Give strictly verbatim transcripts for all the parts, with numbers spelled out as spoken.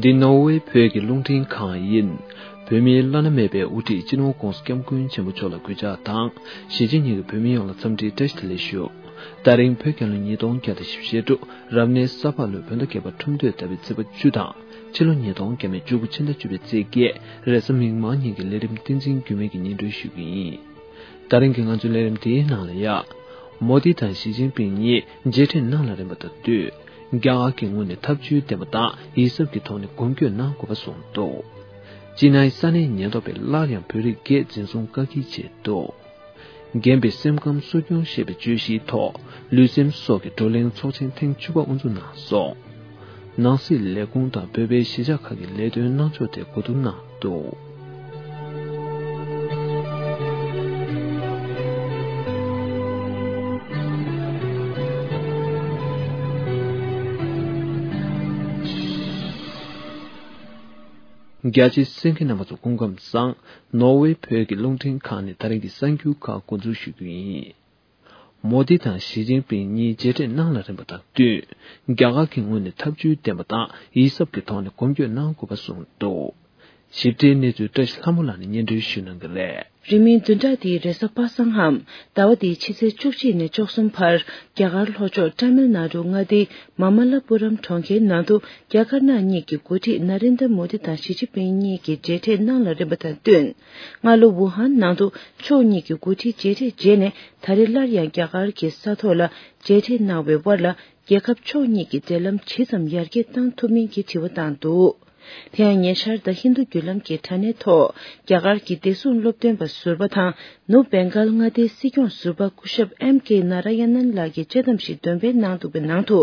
འདི་ནོར་ཝེ་བོད་ཀྱི་རླུང་འཕྲིན་ཁང་ཡིན། བོད་མིའི་བླ་ན་མེད་པའི་དབུ་ཁྲིད་སྤྱི་ནོར་༧གོང་ས་༧སྐྱབས་མགོན་ཆེན་པོ་མཆོག་ལ་གུས་ཕྱག་དང་། གཞིས་བྱེས་གཉིས་ཀྱི་བོད་མི་ཡོངས་ལ་འཚམས་འདྲིའི་བཀྲ་ཤིས་བདེ་ལེགས་ཞུ། ད་རིང་བོད་རྒྱལ་ལོ་ཉིས་སྟོང་བརྒྱ་དང་བཞི་བཅུ་ཞེ་དྲུག་རབ་གནས་ས་ཕག་ལོའི་བོད་ཟླ་བརྒྱད་པ་ཁྲུམས་སྟོད་ཟླ་བའི་ཚེས་པ་བཅུ་དང་། ཕྱི་ལོ་ཉིས་སྟོང་བརྒྱ་མེད་བཅུ་དགུ་ཕྱི་ཟླ་བཅུ་པའི་ཚེས་བརྒྱད་རེས་གཟའ་མིག་དམར་ཉིན་གྱི་ལས་རིམ་བསྟན་འཛིན་འགྱུར་མེད་ཀྱིས་སྙན་སྒྲོན་ཞུ་རྒྱུ་ཡིན། ད་རིང་གི་ང་ཚོའི་ལས་རིམ་དེའི་ནང་ལ་ཡ། མོ་དི་དང་ཞི་ཅིན་ཕིང་གཉིས་མཇལ་འཕྲད་གནང་ལ་རན་པ་དང་བསྟུན། རྒྱ་གར་གྱི་ངོས་ནས་ཐབས་ཇུས་ལྡན་པ་དང་ཡིད་གཟབ་ཀྱི་ཐོག་ནས་མགོན་སྐྱོད་གནང་དགོས་པ་གསུངས་འདུག་ཅི་ནའི་ས་གནས་ཉེན་རྟོག་པས་སླར་ཡང་བོད་རིགས་བརྒྱད་འཛིན་བཟུང་བཀག་སྐྱིལ་བྱས་འདུག་རྒན་པའི་སེམས་ཁམས་གསོ་སྐྱོང་ཞེས་པའི་བརྗོད་གཞིའི་ཐོག་ལུས་སེམས་སོགས་ཀྱི་བགྲོ་གླེང་ཚོགས་ཆེན་ཐེངས་བཅུ་པ་དབུ་འཛུགས་གནང་སོང་། ནང་སྲིད་ལས་ཁུངས་དང་བོད་པའི་གཞིས་ཆགས་ཁག་གི་ལས་དོན་གནང་ཕྱོགས་ཐད་གོ་བསྡུར་གནང་འདུག་རྒྱ་ཆེའི་གསན་མཁན་རྣམ་པ་ཚོ་སྐུ་ཁམས་བཟང་། ནོར་ཝེ་བོད་ཀྱི་རླུང་འཕྲིན་ཁང་ནས་ད་རིང་གི་གསར་འགྱུར་ཁག་འགོ་འཛུགས་ཞུ་རྒྱུ་ཡིན། མོ་དི་དང་ཞི་ཅིན་ཕིང་གཉིས་མཇལ་འཕྲད་གནང་ལ་རན་པ་དང་བསྟུན། རྒྱ་གར་གྱི་ངོས་ནས་ཐབས་ཇུས་ལྡན་པ་དང་ཡིད་གཟབ་ཀྱི་ཐོག་ནས་མགོན་སྐྱོད་གནང་དགོས་པ་གསུངས་འདུག་ཞིབ་ཕྲའི་གནས་ཚུལ་བཀྲ་ཤིས་ལྷ་མོ་ལགས་ནས་སྙན་སྒྲོན་ཞུ་གནང་གི་རེད། རིང་མིན་བདུན་ཕྲག་འདིའི་རེས་གཟའ་པ་སངས་ལྷམ་ཟླ་བ་འདིའི་ཕྱི་ཚེས་བཅུ་གཅིག་ནས་བཅུ་གསུམ་བར་རྒྱ་གར་ལྷོ་ཕྱོགས་ཏཱ་མིལ་ནཱ་ཌུ་མངའ་སྡེའི་མ་མ་ལ་པུ་རམ་གྲོང་ཁྱེར་ནང་དུ་རྒྱ་དཀར་ནག་གཉིས་ཀྱི་འགོ་ཁྲིད་ན་རེན་དྲ་མོ་དི་དང་ཞི་ཅིན་ཕིང་གཉིས་ཀྱིས་མཇལ་འཕྲད་གནང་ལ་རན་པ་དང་བསྟུན། སྔ་ལོ་ཝུ་ཧན་ནང་དུ་ཕྱོགས་གཉིས་ཀྱི་འགོ་ཁྲིད་མཇལ་འཕྲད་རྗེས་ནས་ད་རེས་སླར་ཡང་རྒྱ་གར་གྱི་ས་ཐོག་ལ་མཇལ་འཕྲད་གནང་བའི་དབར་ལ་རྒྱལ་ཁབ་ཕྱོགས་གཉིས་ཀྱི་འབྲེལ་ལམ་ཇི་ཙམ་ཡར་རྒྱས་གཏང་ཐུབ་མིན་གྱི་དྲི་བ་བཏང་འདུག་དེ་ཡང་ཉེ་ཆར་ད་ཧིན་རྡུ་བརྒྱུད་ལམ་གྱི་དྲ་གནས་ཐོག་རྒྱ་གར་གྱི་བདེ་སྲུང་སློབ་སྟོན་པ་ཟུར་པ་དང་ནུབ་བེང་གལ་མངའ་སྡེའི་སྲིད་སྐྱོང་ཟུར་པ་སྐུ་ཞབས་ཨེམ་ཀེ་ན་ར་ཡ་ནན་ལགས་ཀྱིས་དཔྱད་གཏམ་ཞིག་འདོན་སྤེལ་གནང་འདུག་པའི་ནང་དུ།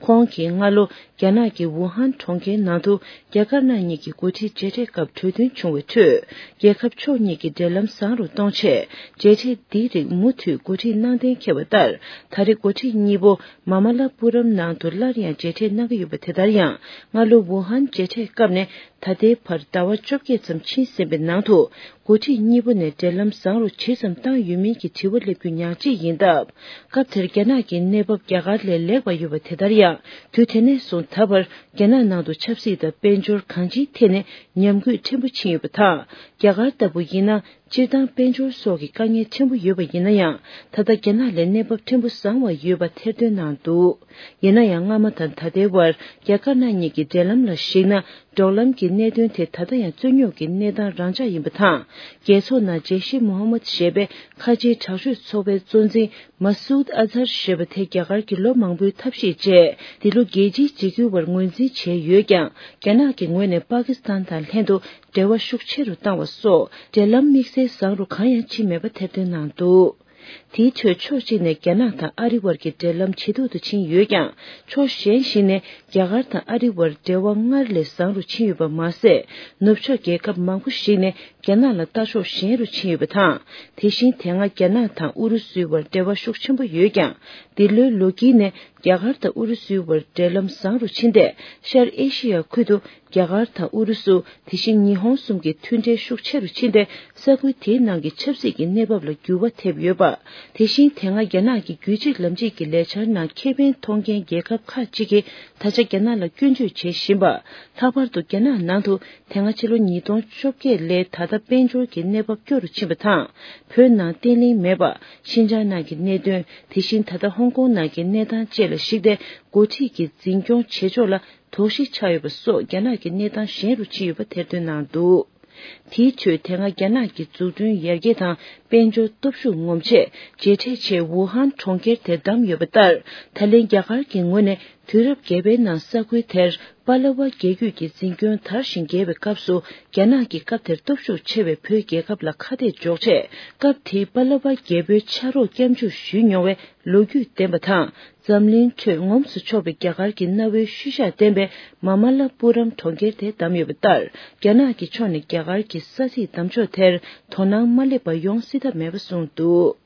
ཁོང་གིས་སྔ་ལོ་རྒྱ་ནག་གི་ཝུ་ཧན་གྲོང་ཁྱེར་ནང་དུ་རྒྱ་དཀར་ནག་གཉིས་ཀྱི་འགོ་ཁྲིད་མཇལ་འཕྲད་སྐབས་གྲོས་མཐུན་བྱུང་བའི་ཁྲོད། རྒྱལ་ཁབ་ཕྱོགས་གཉིས་ཀྱི་འབྲེལ་ལམ་བཟང་རུ་གཏོང་ཆེད། མཇལ་འཕྲད་འདིའི་རིགས་མུ་མཐུད་འགོ་ཁྲིད་གནང་གཏན་འཁེལ་བ་ལྟར། ད་རེས་འགོ་ཁྲིད་གཉིས་པོ་མ་མ་ལ་པུ་རམ་ནང་དུ་སླར་ཡང་མཇལ་འཕྲད་གནང་གི་ཡོད་པ་དེ་ལྟར་ཡང་། སྔ་ལོ་ཝུ་ཧན་མཇལ་འཕྲད་སྐབས་ནས་ད་ལྟའི་བར་ཟླ་བ་བཅོ་བརྒྱད་ཙམ་ཕྱིན་ཟིན་པའི་ནང་དུ། འགོ་ཁྲིད་གཉིས་པོ་ནས་འབྲེལ་ལམ་བཟང་རུ་ཇི་ཙམ་བཏང་ཡོད་མིན་གྱི་དྲི་བ་སླེབས་རྒྱུ་ཉག་གཅིག་ཡིན་སྟབས། སྐབས་དེར་རྒྱ་ནག་གི་གནས་བབ་རྒྱ་གར་ལས་ལེགས་པ་ཡོད་པ་དེ་ལྟར་ཡང་། དུས་དེ་ནས་བཟུང་ད་བར་རྒྱ་ནག་ནང་དུ་ཆབ་སྲིད་དང་དཔལ་འབྱོར་གང་ཅིའི་ཐད་ནས་ཉམས་རྒུད་ཕྲན་བུ་ཕྱིན་ཡོད་པ་དང་། རྒྱ་གར་ལྟ་བུ་ཡིན་ན། སྤྱིར་བཏང་དཔལ་འབྱོར་སོགས་ཀྱི་དཀའ་ངལ་ཕྲན་བུ་ཡོད་པ་ཡིན་ན་ཡང་། ད་ལྟ་རྒྱ་ནག་ལས་གནས་བབ་ཕྲན་བུ་བཟང་བ་ཡོད་པ་ཐེར་འདོན་གནང་འདུག་ཡིན་ན་ཡང་། སྔ་མ་དང་ད་ལྟའི་བར་རྒྱ་དཀར་ནག་གཉིས་ཀྱི་འབྲེལ་ལམ་ལ་གཞིགས་ན། འབྲོག་ལམ་གྱི་གནད་དོན་དེ་ད་ལྟ་ཡང་རྩོད་རྙོག་གི་གནས་སྟངས་རང་འཇགས་ཡིན་པ་དང་། རྒྱལ་ཚོགས་ནང་ཇེ་ཤི་མོ་ཧ་མད་ཞེས་པའི་ཁ་ཆེའི་དྲག་སྤྱོད་ཚོགས་པའི་གཙོ་འཛིན་མ་སུད་ཨ་ཛར་ཞེས་པ་དེ་རྒྱ་གར་གྱི་ལོ་མང་པོའི་ཐབས་ཤེས་བཅས། འདི་ལོ་རྒྱལ་སྤྱིའི་འཇིགས་སྐུལ་བར་ངོས་འཛིན་བྱས་ཡོད་ཀྱང་། རྒྱ་ནག་གི་ངོས་ནས་པ་ཀི་སི་ཐན་དང་ལྷན་དུ་འབྲེལ་བ་ཤུགས་ཆེ་རུ་བཏང་བ་སོགས། འབྲེལ་ལམ་དམིགས་བསལ་བཟང་རུ་གང་ཡང་ཕྱིན་མེད་པ་ཐེར་འདོན་གནང་འདུག་དེའི་ཁྲོད་ཕྱོགས་གཅིག་ནས་རྒྱ་ནག་དང་ཨ་རི་བར་གྱི་འབྲེལ་ལམ་ཇེ་སྡུག་ཏུ་ཕྱིན་ཡོད་ཀྱང་། ཕྱོགས་གཞན་ཞིག་ནས་རྒྱ་གར་དང་ཨ་རི་བར་འབྲེལ་བ་སྔར་ལས་བཟང་རུ་ཕྱིན་ཡོད་པ་མ་ཟད། ནུབ་ཕྱོགས་རྒྱལ་ཁབ་མང་པོ་ཞིག་ནས་རྒྱ་ནག་ལ་ལྟ་ཕྱོགས་ཞན་རུ་ཕྱིན་ཡོད་པ་དང་། དེ་བཞིན་དེ་སྔ་རྒྱ་ནག་དང་ཨུ་རུ་སུའི་བར་འབྲེལ་བ་ཤུགས་ཆེན་པོ་ཡོད་ཀྱང་། འདི་ལོའི་ལོ་དཀྱིལ་ནས་རྒྱ་གར་དང་ཨུ་རུ་སུའི་བར་འབྲེལ་ལམ་བཟང་རུ་ཕྱིན་ཏེ། ཤར་ཨེ་ཤི་ཡ་ཁུལ་དུ། རྒྱ་གར་དང་ཨུ་རུ་སུ། དེ་བཞིན་ཉི་ཧོང་གསུམ་གྱི་མཐུན་འབྲེལ་ཤུགས་ཆེ་རུ་ཕྱིན་ཏེ། ས་ཁུལ་དེའི་ནང་གི་ཆབ་སྲིད་ཀྱི་གནས་བབ་ལ་འགྱུར་བ་ཐེབས་ཡོད་པ། དེ་བཞིན་དེ་སྔ་རྒྱ་ནག་གི་རྒྱུད་གཅིག་ལམ་གཅིག་གི་ལས་འཆར་ནང་ཁེ་ཕན་མཐོང་མཁན་རྒྱལ་ཁབ་ཁག་ཅིག་གིས་ད་ཆ་རྒྱ་ནག་ལ་སྐྱོན་བརྗོད་བྱེད་བཞིན་པ། ལྷག་པར་དུ་རྒྱ་ནག་ནང་དུ་དེ་སྔ་ཕྱི་ལོ་ཉིས་སྟོང་བཅོ་བརྒྱད་ལོའི་ད་ལྟ་དཔལ་འབྱོར་གྱི་གནས་བབ་སྐྱོ་རུ་ཕྱིན་པ་དང་། བོད་ནང་བརྟན་ལྷིང་མེད་པ། ཤིན་ཅང་ནང་གི་གནད་དོན། དེ་བཞིན་ད་ལྟ་ཧོང་ཀོང་ནང་གི་གནས་སྟངས་བཅས་ལ་གཞིགས་ཏེ། འགོ་ཁྲིད་ཀྱི་འཛིན་སྐྱོང་བྱེད་ཕྱོགས་ལ། དོགས་གཞི་ཆགས་ཡོད་པ་སོགས་རྒྱ་ནག་གི་གནས་སྟངས་ཞན་རུ་ཕྱིན་ཡོད་པ་ཐེར་འདོན་གནང་འདུག་དེའི་ཁྲོད་དེ་སྔ་རྒྱ་ནག་གི་འཛུགས་སྐྲུན་ཡར་རྒྱས་དང་དཔལ་འབྱོར་སྟོབས་ཤུགས་ངོམ་ཆེད་མཇལ་འཕྲད་ཆེད་ཝུ་ཧན་གྲོང་ཁྱེར་དེར་བདམས་ཡོད་པ་ལྟར། ད་ལན་རྒྱ་གར་གྱི་ངོས་ནས་དུས་རབས་བརྒྱད་པའི་ནང་ས་ཁུལ་དེར་པ་ལ་བ་རྒྱལ་རྒྱུད་ཀྱི་འཛིན་སྐྱོང་དར་ཞིང་རྒྱས་པའི་སྐབས་སུ། རྒྱ་ནག་གིས་སྐབས་དེར་སྟོབས་ཤུགས་ཆེ་བའི་བོད་རྒྱལ་ཁབ་ལ་ཁ་གཏད་གཅོག་ཆེད། སྐབས་དེའི་པ་ལ་བ་རྒྱལ་པོའི་ཕྱག་རོགས་སྐྱབས་འཇུག་ཞུས་མྱོང་བའི་ལོ་རྒྱུས་ལྡན་པ་དང་། འཛམ་གླིང་ཁྲོད་ངོམས་སུ་ཆོག་པའི་རྒྱ་གར་གྱི་གནའ་བོའི་ཤུལ་བཞག་ལྡན་པའི་མ་མ་ལ་པུ་རམ་གྲོང་ཁྱེར་དེ་བདམས་ཡོད་པ་ལྟར། རྒྱ་ནག་གི་ཕྱོགས་ནས་རྒྱ་གར་གྱི་ས་ཚིགས་བདམས་ཕྱོགས་དེར་དོ་སྣང་མ་སླེབས་པ་ཡོང་སྲིད་ཐབས་མེད་པ་གསུངས་འདུག་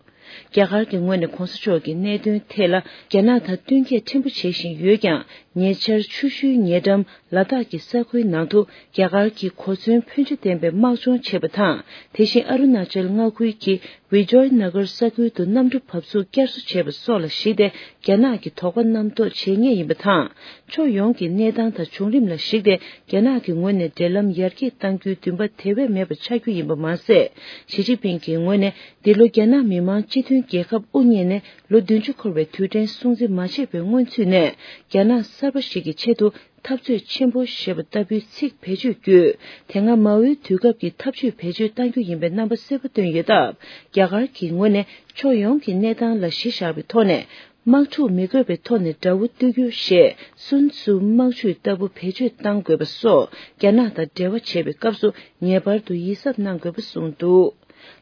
རྒྱ་གར་གྱི་ངོས་ནས་གོང་ས་མཆོག་གི་གནད་དོན་ཐད་ལ་རྒྱ་ནག་དང་བསྟུན་མཁས་ཕྲན་བུ་བྱེད་བཞིན་ཡོད་ཀྱང་། ཉེ་ཆར་ཆུ་ཤུལ་ཉེ་འགྲམ་ལ་དྭགས་ཀྱི་ས་ཁུལ་ནང་དུ་རྒྱ་གར་གྱི་གོ་མཚོན་ཕོན་ཆེ་ལྡན་པའི་དམག་སྦྱོང་བྱས་པ་དང་། དེ་བཞིན་ཨ་རུ་ན་ཅལ་མངའ་ཁུལ་གྱི་བི་ཇོའི་ན་གར་ས་ཁུལ་དུ་གནམ་གྲུ་བབས་ཚུགས་བསྐྱར་གསོ་བྱས་པ་སོགས་ལ་གཞིགས་ཏེ། རྒྱ་ནག་གིས་དོགས་པ་རྣམ་རྟོག་བྱེད་ངེས་ཡིན་པ་དང་། ཕྱོགས་ཡོངས་ཀྱི་གནས་སྟངས་དང་བྱུང་རིམ་ལ་གཞིགས་ཏེ། རྒྱ་ནག་གི་ངོས་ནས་འབྲེལ་ལམ་ཡར་རྒྱས་གཏང་རྒྱུའི་འདུན་པ་དེ་བས་མེད་པ་ཆགས་རྒྱུ་ཡིན་པ་མ་ཟད། ཞི་ཅིན་ཕིང་གི་ངོས་ནས་འདི་ལོ་རྒྱ་ནག་མི་དམངས་སྤྱི་མཐུན་རྒྱལ་ཁབ་དབུ་བརྙེས་ནས་ལོ་བདུན་ཅུ་འཁོར་བའི་དུས་དྲན་སྲུང་བརྩི་མ་བྱས་པའི་སྔོན་ཚུད་ནས། རྒྱ་ནག་གསར་པ་ཞིག་གི་ཆེད་དུ་འཐབ་རྩོད་ཆེན་པོ་ཞེས་པ་ལྟ་བུའི་ཚིག་བེད་སྤྱོད་བརྒྱུད། དེ་སྔ་མའོའི་དུས་སྐབས་ཀྱི་འཐབ་ཇུས་བེད་སྤྱོད་གཏང་རྒྱུ་ཡིན་པའི་རྣམ་པ་གསལ་པོ་བཏོན་ཡོད་སྟབས། རྒྱ་གར་གྱི་ངོས་ནས་ཕྱོགས་ཡོངས་ཀྱི་གནས་སྟངས་ལ་གཞི་བཞག་པའི་ཐོག་ནས། དམག་འཁྲུག་མི་དགོས་པའི་ཐོག་ནས་དགྲ་བོ་གཏོར་རྒྱུ་ཞེས་སུན་ཙུའུ་དམག་ཇུས་ལྟ་བུ་བེད་སྤྱོད་གཏང་དགོས་པ་སོགས། རྒྱ་ནག་དང་འབྲེལ་བ་བྱེད་པའི་སྐབས་སུ་ངེས་པར་དུ་ཡིད་གཟབ་གནང་དགོས་པ་གསུངས་འདུག།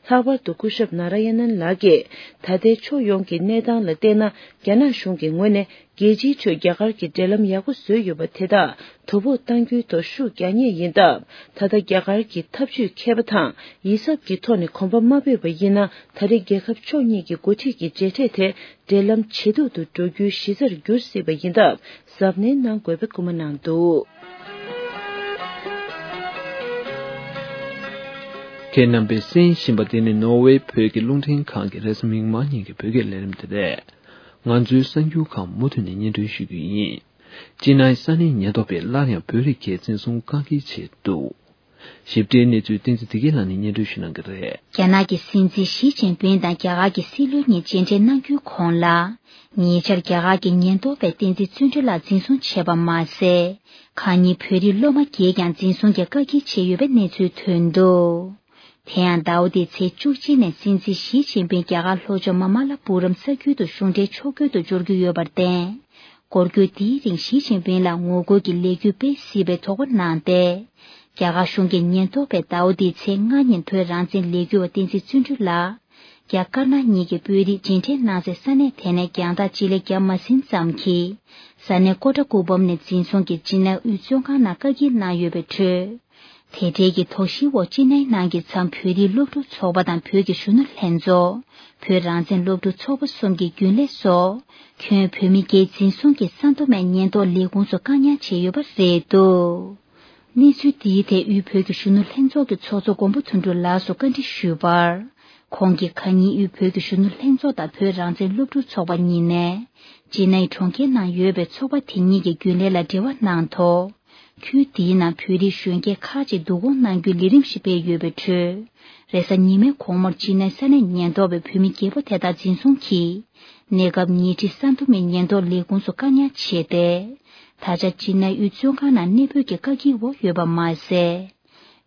ལྷག་པར་དུ་སྐུ་ཞབས་ན་ར་ཡ་ནན་ལགས་ཀྱིས། ད་ལྟའི་ཕྱོགས་ཡོངས་ཀྱི་གནས་སྟངས་ལ་བལྟས་ན། རྒྱ་ནག་གཞུང་གི་ངོས་ནས་རྒྱལ་སྤྱིའི་ཁྲོད་རྒྱ་གར་གྱི་འབྲེལ་ལམ་ཡག་པོ་བཟོས་ཡོད་པ་དེ་དག་དོ་ཕོག་གཏང་རྒྱུའི་ཐོག་ཤུགས་རྒྱག་ངེས་ཡིན་སྟབས། ད་ལྟ་རྒྱ་གར་གྱི་འཐབ་ཇུས་མཁས་པ་དང་ཡིད་གཟབ་ཀྱི་ཐོག་ནས་གོམ་པ་མ་སྤོས་པ་ཡིན་ན། ད་རེས་རྒྱལ་ཁབ་ཕྱོགས་གཉིས་ཀྱི་འགོ་ཁྲིད་ཀྱི་མཇལ་འཕྲད་དེ། འབྲེལ་ལམ་ཇེ་སྡུག་ཏུ་འགྲོ་རྒྱུའི་གཞི་རྩར་འགྱུར་སྲིད་པ་ཡིན་སྟབས། གཟབ་ནན་གནང་དགོས་པའི་སྐུལ་མ་གནང་འདུག། ཁྱེད་རྣམ་པས་གསན་བཞིན་པ་འདི་ནི་ནོར་ཝེ་བོད་ཀྱི་རླུང་འཕྲིན་ཁང་གི་རེས་གཟའ་མིག་དམར་ཉིན་གྱི་བོད་སྐད་ལས་རིམ་དེ་རེད། ང་ཚོའི་གསར་འགྱུར་ཁག་མུ་མཐུད་ནས་སྙན་སྒྲོན་ཞུ་རྒྱུ་ཡིན། ཅི་ནའི་ས་གནས་ཉེན་རྟོག་པས་སླར་ཡང་བོད་རིགས་ཀྱི་འཛིན་བཟུང་བཀག་སྐྱིལ་བྱས་འདུག། ཞིབ་ཕྲའི་གནས་ཚུལ་བསྟན་འཛིན་བདེ་སྐྱིད་ལགས་ནས་སྙན་སྒྲོན་ཞུ་གནང་གི་རེད། རྒྱ་ནག་གི་སྲིད་འཛིན་ཞི་ཅིན་ཕིང་དང་རྒྱ་གར་གྱི་སྲིད་བློན་གཉིས་མཇལ་འཕྲད་གནང་རྒྱུའི་གོང་ལ། ཉེ་ཆར་རྒྱ་གར་གྱི་ཉེན་རྟོག་པས་བསྟན་འཛིན་བརྩོན་འགྲུས་ལགས་འཛིན་བཟུང་བྱས་པ་མ་ཟད། ཁ་ཉིན་བོད་རིགས་སློབ་མ་བརྒྱད་ཀྱང་འཛིན་བཟུང་གིས་བཀག་སྐྱིལ་བྱས་ཡོད་པའི་གནས་ཚུལ་ཐོན་འདུག། དེ་ཡང་ཟླ་བ་འདིའི་ཚེས་བཅུ་གཅིག་ནས་སྲིད་འཛིན་ཞི་ཅིན་ཕིང་རྒྱ་གར་ལྷོ་ཕྱོགས་མ་མ་ལ་པུ་རམ་ས་ཁུལ་དུ་གཞུང་འབྲེལ་ཕྱོགས་བསྐྱོད་དུ་འབྱོར་རྒྱུ་ཡོད་པར་བརྟེན། སྐོར་སྐྱོད་དེའི་རིང་ཞི་ཅིན་ཕིང་ལ་ངོ་རྒོལ་གྱི་ལས་འགུལ་སྤེལ་སྲིད་པའི་དོགས་པ་གནང་སྟེ། རྒྱ་གར་གཞུང་གི་ཉེན་རྟོག་པས་ཟླ་བ་འདིའི་ཚེས་ལྔ་ཉིན་བོད་རང་བཙན་ལས་འགུལ་བ་བསྟན་འཛིན་བརྩོན་འགྲུས་ལགས། རྒྱ་དཀར་ནག་གཉིས་ཀྱི་དཔོན་རིགས་མཇལ་འཕྲད་གནང་སའི་ས་གནས་དེ་ནས་རྒྱང་ཐག་སྤྱི་ལེ་བརྒྱ་མ་ཟིན་ཙམ་གྱི་ས་གནས་ཀོ་ཏྲ་ཀུ་པམ་ནས་འཛིན་བཟུང་གིས་ཅི་ནའི་དབུས་བཙོན་ཁང་ནང་བཀག་སྐྱིལ་གནང་ཡོད་པའི་ཁྲོད། དེ་འབྲེལ་གྱི་དོགས་གཞིའི་འོག་ཅི་ནའི་ནང་གི་མཚམས་བོད་རིགས་སློབ་ཕྲུག་ཚོགས་པ་དང་བོད་ཀྱི་གཞོན་ནུ་ལྷན་ཚོགས། བོད་རང་བཙན་སློབ་ཕྲུག་ཚོགས་པ་གསུམ་གྱི་རྒྱུན་ལས་སོགས། ཁྱོན་བོད་མི་བརྒྱད་འཛིན་བཟུང་གིས་སན་ཏོ་མེན་ཉེན་རྟོག་ལས་ཁུངས་སུ་བཀག་ཉར་བྱས་ཡོད་པ་རེད་འདུག། གནས་ཚུལ་འདིའི་ཐད་དབུས་བོད་ཀྱི་གཞོན་ནུ་ལྷན་ཚོགས་ཀྱི་ཚོགས་གཙོ་མགོན་པོ་དོན་གྲུབ་ལགས་སུ་བཀའ་འདྲི་ཞུས་པར། ཁོང་གིས་ཁ་ཉིན་དབུས་བོད་ཀྱི་གཞོན་ནུ་ལྷན་ཚོགས་དང་བོད་རང་བཙན་སློབ་ཕྲུག་ཚོགས་པ་གཉིས་ནས། ཅི་ནའི་གྲོང་ཁྱེར་ནང་ཡོད་པའི་ཚོགས་པ་དེ་གཉིས་ཀྱི་རྒྱུན་ལས་ལ་འབྲེལ་བ་གནང་ཐོག། ཁུལ་དེའི་ནང་བོད་རིགས་གཞོན་སྐྱེས་ཁག་ཅིག་བསྡུ་སྐོང་གནང་རྒྱུའི་ལས་རིམ་ཞིག་སྤེལ་ཡོད་པའི་ཁྲོད། རེས་གཟའ་ཉི་མའི་དགོང་མོར་ཅི་ནའི་ས་གནས་ཉེན་རྟོག་པས་བོད་མི་བརྒྱད་པོ་དེ་དག་འཛིན་བཟུང་གིས། གནས་སྐབས་ཉེ་འཁྲིས་སན་ཏོ་མེན་ཉེན་རྟོག་ལས་ཁུངས་སུ་བཀག་ཉར་བྱས་ཏེ། ད་ཆ་ཅི་ནའི་དབུས་བཙོན་ཁང་ནང་གནས་སྤོས་ཀྱི་བཀག་སྐྱིལ་འོག་ཡོད་པ་མ་ཟད།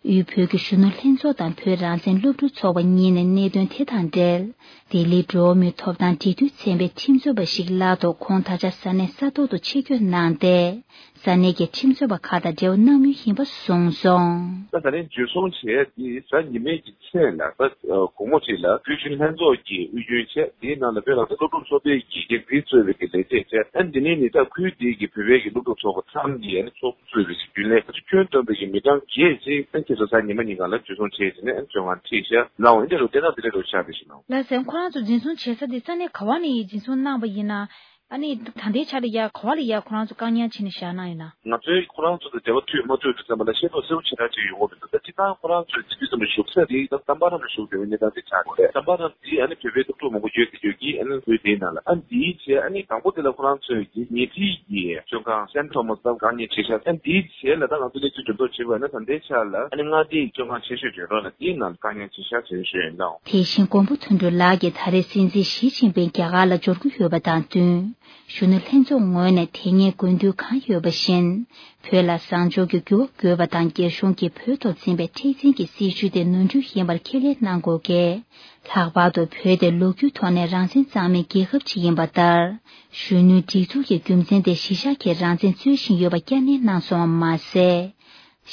དབུས་བོད་ཀྱི་གཞོན་ནུ་ལྷན་ཚོགས་དང་བོད་རང་བཙན་སློབ་ཕྲུག་ཚོགས་པ་གཉིས་ནས་གནད་དོན་དེ་དང་འབྲེལ། ལྡི་ལིའི་འགྲོ་བ་མིའི་ཐོབ་ཐང་འབྲེལ་མཐུད་ཚན་པའི་ཁྲིམས་རྩོད་པ་ཞིག་སླར་དུ་ཁོང་ད་ཆ་ས་གནས་ས་ཐོག་ཏུ་ཆེད་བསྐྱོད་གནང་སྟེ། ས་གནས་ཀྱི་ཁྲིམས་རྩོད་པ་ཁག་དང་འབྲེལ་བ་གནང་མུས་ཡིན་པ་གསུངས་སོང་། ད་ད་རིང་འཛིན་བཟུང་བྱས་ཏེ་གཟའ་ཉི་མའི་གི་མཚན་ལ་ད་དགོང་མོ་ཅིག་ལ་བོད་གཞོན་ལྷན་ཚོགས་ཀྱི་དབུས་རྒྱུན་བྱས། དེའི་ནང་ལ་བོད་རང་བཙན་སློབ་ཕྲུག་ཚོགས་པའི་གི་འགན་འཛིན་གཙོས་པའི་གི་ལས་བྱེད་བྱས། ཨ་ནི་དེ་ནས་ནི་ད་ཁུལ་དེའི་གི་བོད་པའི་གི་སློབ་ཕྲུག་ཚོགས་པ་ཚང་གི་ཨ་ནི་ཚོགས་གཙོས་པའི་གི་རྒྱུན་ལས་ཁྱོན་བསྡོམས་པའི་གི་མི་གྲངས་བརྒྱད་ཅིག་ཨ་ནི་ཁྱེད་ཚོ་གཟའ་ཉི་མ་ཉིན་གང་ལ་འཛིན་བཟུང་བྱས་བྱས་ནས་ཨ་ནི་བཙོན་ཁང་ཁྲིད་བཞག་ལའོ། འདི་འདྲ་འདི་འདྲ་ཆགས་པའི་ཞིག་ལའོ། ལགས་སོ། ཁོ་རང་ཚོ་འཛིན་བཟུང་བྱེད་ས་དེ་ས་གནས་ག་བ་ནས་འཛིན་བཟུང་གནང་བ་ཡིན་ན། ཨ་ནི་ད་ལྟའི་ཆར་ལ་ཡ་ག་བ་ལ་ཡ་ཁོ་རང་ཚོ་བཀག་ཉར་བྱས་ནས་བཞག་གནང་ཡོད་ན། ང་ཚོས་ཁོ་རང་ཚོ་དང་འབྲེལ་བ་མཐུད་མ་མཐུད་དུ་བསམ་པ་ལ་ཤེས་རྟོགས་གསལ་པོ་ཞེ་དྲག་ཅིག་ཡོང་གི་མི་འདུག། ད་སྤྱིར་བཏང་ཁོ་རང་ཚོས་དེ་དུས་ཙམ་པ་བཞུགས་ས་དེ་ད་ཙམ་པ་རམ་ལ་བཞུགས་ཡོད་པའི་གནས་སྟངས་དེ་ཆགས་ཡོད་རེད། ཙམ་པ་རམ་དེ་ཨ་ནི་བོད་པའི་སློབ་ཕྲུག་མང་པོ་ཡོད་དེ་ཡོད་ཀྱི། ཨ་ནི་བོད་དེའི་ནང་ལ་ཨ་ནི་དེའི་ཆེད་ཨ་ནི་དང་པོ་དེ་ལ་ཁོ་རང་ཚོས་ཀྱི་ཉེ་འཁྲིས་ཀྱི་བཙོན་ཁང་སན་ཐོ་མཱས་ལ་བཀག་ཉར་བྱས་ཤག། ཨ་ནི་དེའི་ཆེད་ལ་ད་ང་ཚོ་གནས་ཚུལ་འགྲེམས་རྟོག་བྱས་པ་ན་ད་ལྟའི་ཆར་ལ་ཨ་ནི་མངའ་སྡེའི་བཙོན་ཁང་ཆེ་ཤོས་ཀྱི་རོ་ལ་དེའི་ནང་ལ་བཀག་ཉར་བྱས་ཤག་ཟེར་ཞུས་ཡོད་ལགས། དེ་བཞིན་མགོན་པོ་དོན་གྲུབ་ལགས་ཀྱིས་ད་རེས་སྲིད་འཛིན་ཞི་ཅིན་ཕིང་རྒྱ་གར་ལ་འབྱོར་གྱི་ཡོད་པ་དང་བསྟུན། གཞོན་ནུ་ལྷན་ཚོགས་ངོས་ནས་དེ་སྔའི་དགོས་འདུན་གང་ཡོད་པ་བཞིན། བོད་ལ་བཟང་ཕྱོགས་ཀྱི་འགྱུར་བ་དགོས་པ་དང་། རྒྱ་གཞུང་གིས་བོད་ཐོག་འཛིན་པའི་མཁྲེགས་འཛིན་གྱི་སྲིད་བྱུས་དེ་ནོར་འཁྲུལ་ཡིན་པར་ཁས་ལེན་གནང་དགོས་གལ། ལྷག་པར་དུ་བོད་དེ་ལོ་རྒྱུས་ཐོག་ནས་རང་བཙན་གཙང་མའི་རྒྱལ་ཁབ་ཅིག་ཡིན་པ་ལྟར། གཞོན་ནུའི་སྒྲིག་འཛུགས་ཀྱི་རྒྱུ་མཚན་དེ་གཞི་བཞག་གིས་རང་བཙན་རྩོད་བཞིན་ཡོད་པ་བསྐྱར་ནན་གནང་སོང་བ་མ་ཟད།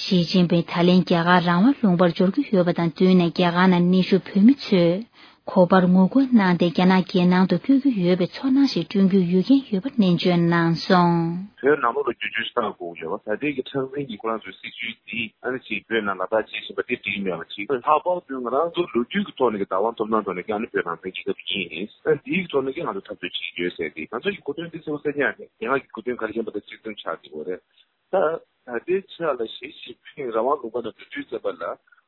ཞི་ཅིན་ཕིང་ད་ལན་རྒྱ་གར་རང་དབང་ལུང་པར་འབྱོར་གྱི་ཡོད་པ་དང་བསྟུན་ནས། རྒྱ་གར་ནང་གནས་བཞུགས་བོད་མི་ཚོས་ གོ་བར་ངོ་རྒོལ་གནང་སྟེ་རྒྱ་ནག་རྒྱལ་ནང་དུ་བསྐྱོད་ཀྱི་ཡོད་པའི་ཚོར་སྣང་ཞིག་བསྐྲུན་རྒྱུའི་ཡོད་ཀྱིན་ཡོད་པ་ནན་བརྗོད་གནང་སོང་། བོད་ནང་ལོགས་ལ་བསྐྱོད་རྒྱུའི་ས་དགོས་ཡོད་པ། ད་ལྟའི་གི་ཁྲག་འཛིན་གྱི་ཁོ་རང་ཚོའི་སྲིད་ཇུས་འདི་ཨ་ནི་ཅིག་བོད་ནང་ལག་བསྟར་བྱེད་བཞིན་པ་དེ་འགྲིག་མེད་པ་ཅིག་ལྷག་པར་དུ་ང་རང་ཚོ་ལོ་རྒྱུས་ཀྱི་ཐོག་ནས་ཀྱི་བདག་དབང་ཐོབ་ཐང་ཐོག་ནས་ཀྱི་ཨ་ནི་བོད་རང་བཙན་རྒྱལ་ཁབ་ཅིག་ཡིན། ཨ་འདིའི་གི་ཐོག་ནས་ཀྱི་ང་ཚོ་འཐབ་རྩོད་བྱེད་ཀྱི་ཡོད་ཟེར་ཏེ་ང་ཚོ་ཡི་གོ་དོན་འདི་གསལ་པོ་གསལ་རྐྱང་རེད། ཡན་ལག་གི་གོ་དོན་ག་རེ་ཡིན་པ་དང་གཅིག་མཚུངས་ཆགས་ཀྱི་ཡོད་རེད། ད་ད་ལྟའི་ཆ་ལ་ཞི་ཅིན་ཕིང་རང་དབང་ལུང་པ་ནང་འགྲོ་དུས་ཙམ་པ་ལ་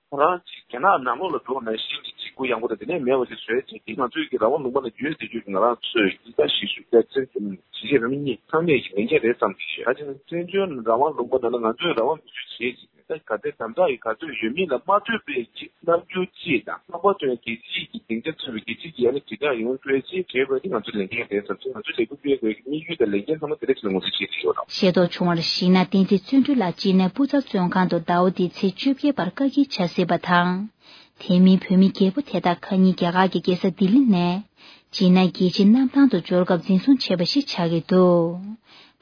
ཁོ་རང་ཅིག་རྒྱ་ནག་ནང་ལོགས་ལ་འགྲོ་ན་གཞི་ནས་ཅིག་གུ་ཡངས་པོ་དང་དེ་ནས་མེད་པ་ཞིག་བཟོས་ཅིག་དེ་ང་ཚོའི་གི་རང་དབང་ལུང་པ་ནང་ཡོད་ཟེར་རྒྱུ་གི་ང་རང་ཚོས་ཡིད་ཆེས་ཞིག་ཞུ་བྱ་བཙན་བྱོལ་གཞིས་བྱེས་རང་མི་གཉིས་ཚང་མས་ཀྱི་ལས་འགན་རེད་བསམ་གྱི་ཡོད། ད་ཅིག་བཙན་བྱོལ་རང་དབང་ལུང་པ་ནང་ལ་ང་ཚོས་རང་དབང་མི་ཚུལ་བྱེད་ཅིག་ད་ག་དེ་དམ་དྲག་གི་ག་ཚོད་ཡོད་མིན་ལ་མ་ལྟོས་པའི་ཅིག་རྣམ་འགྱུར་ཅིག་དང་ལྷག་པར་དུ་ཡང་རྒྱལ་སྤྱིའི་གི་སྡིངས་ཆ་ཚུད་པའི་རྒྱལ་སྤྱིའི་གི་ཡ་ནི་དྲིལ་བསྒྲགས་ཡོང་སྤྲོད་ཅིག་བྱེད་དགོས་དེ་ང་ཚོའི་ལས་འགན་རེད་བསམ་ཚེ་ང་ཚོས་ལས་འགུལ་སྤེལ་དགོས་ཀྱི་དམིགས་ཡུལ་དང་ལས་འགན་ཚང་མ་དེ་འདྲ་ཞིག་ལ་ངོས་འཛིན་བྱེད་ཀྱི་ཡོད་རེད། ཤེས་རྟོགས་བྱུང་བར་གཞིགས་ན་བསྟན་འཛིན་བརྩོན་འགྲུས་ལགས་ཅི་ནས་སྤུ་ཚ་བཙོན་ཁང་དུ་ཟླ་བ་འདིའི་ཚེས་བཅོ་བརྒྱད་བར་བཀག་སྐྱིལ་བྱ་སྲིད་པ་དང་། དེ་མིན་བོད་མི་རྒད་པོ་དེ་དག་ཁ་ཉིན་རྒྱ་གར་གྱི་རྒྱལ་ས་ལྡི་ལི་ནས་ཇི་ནན་རྒྱལ་སྤྱིའི་གནམ་ཐང་དུ་འབྱོར་སྐབས་འཛིན་བཟུང་བྱས་པ་ཞིག་ཆགས་ཀྱི་འདུག་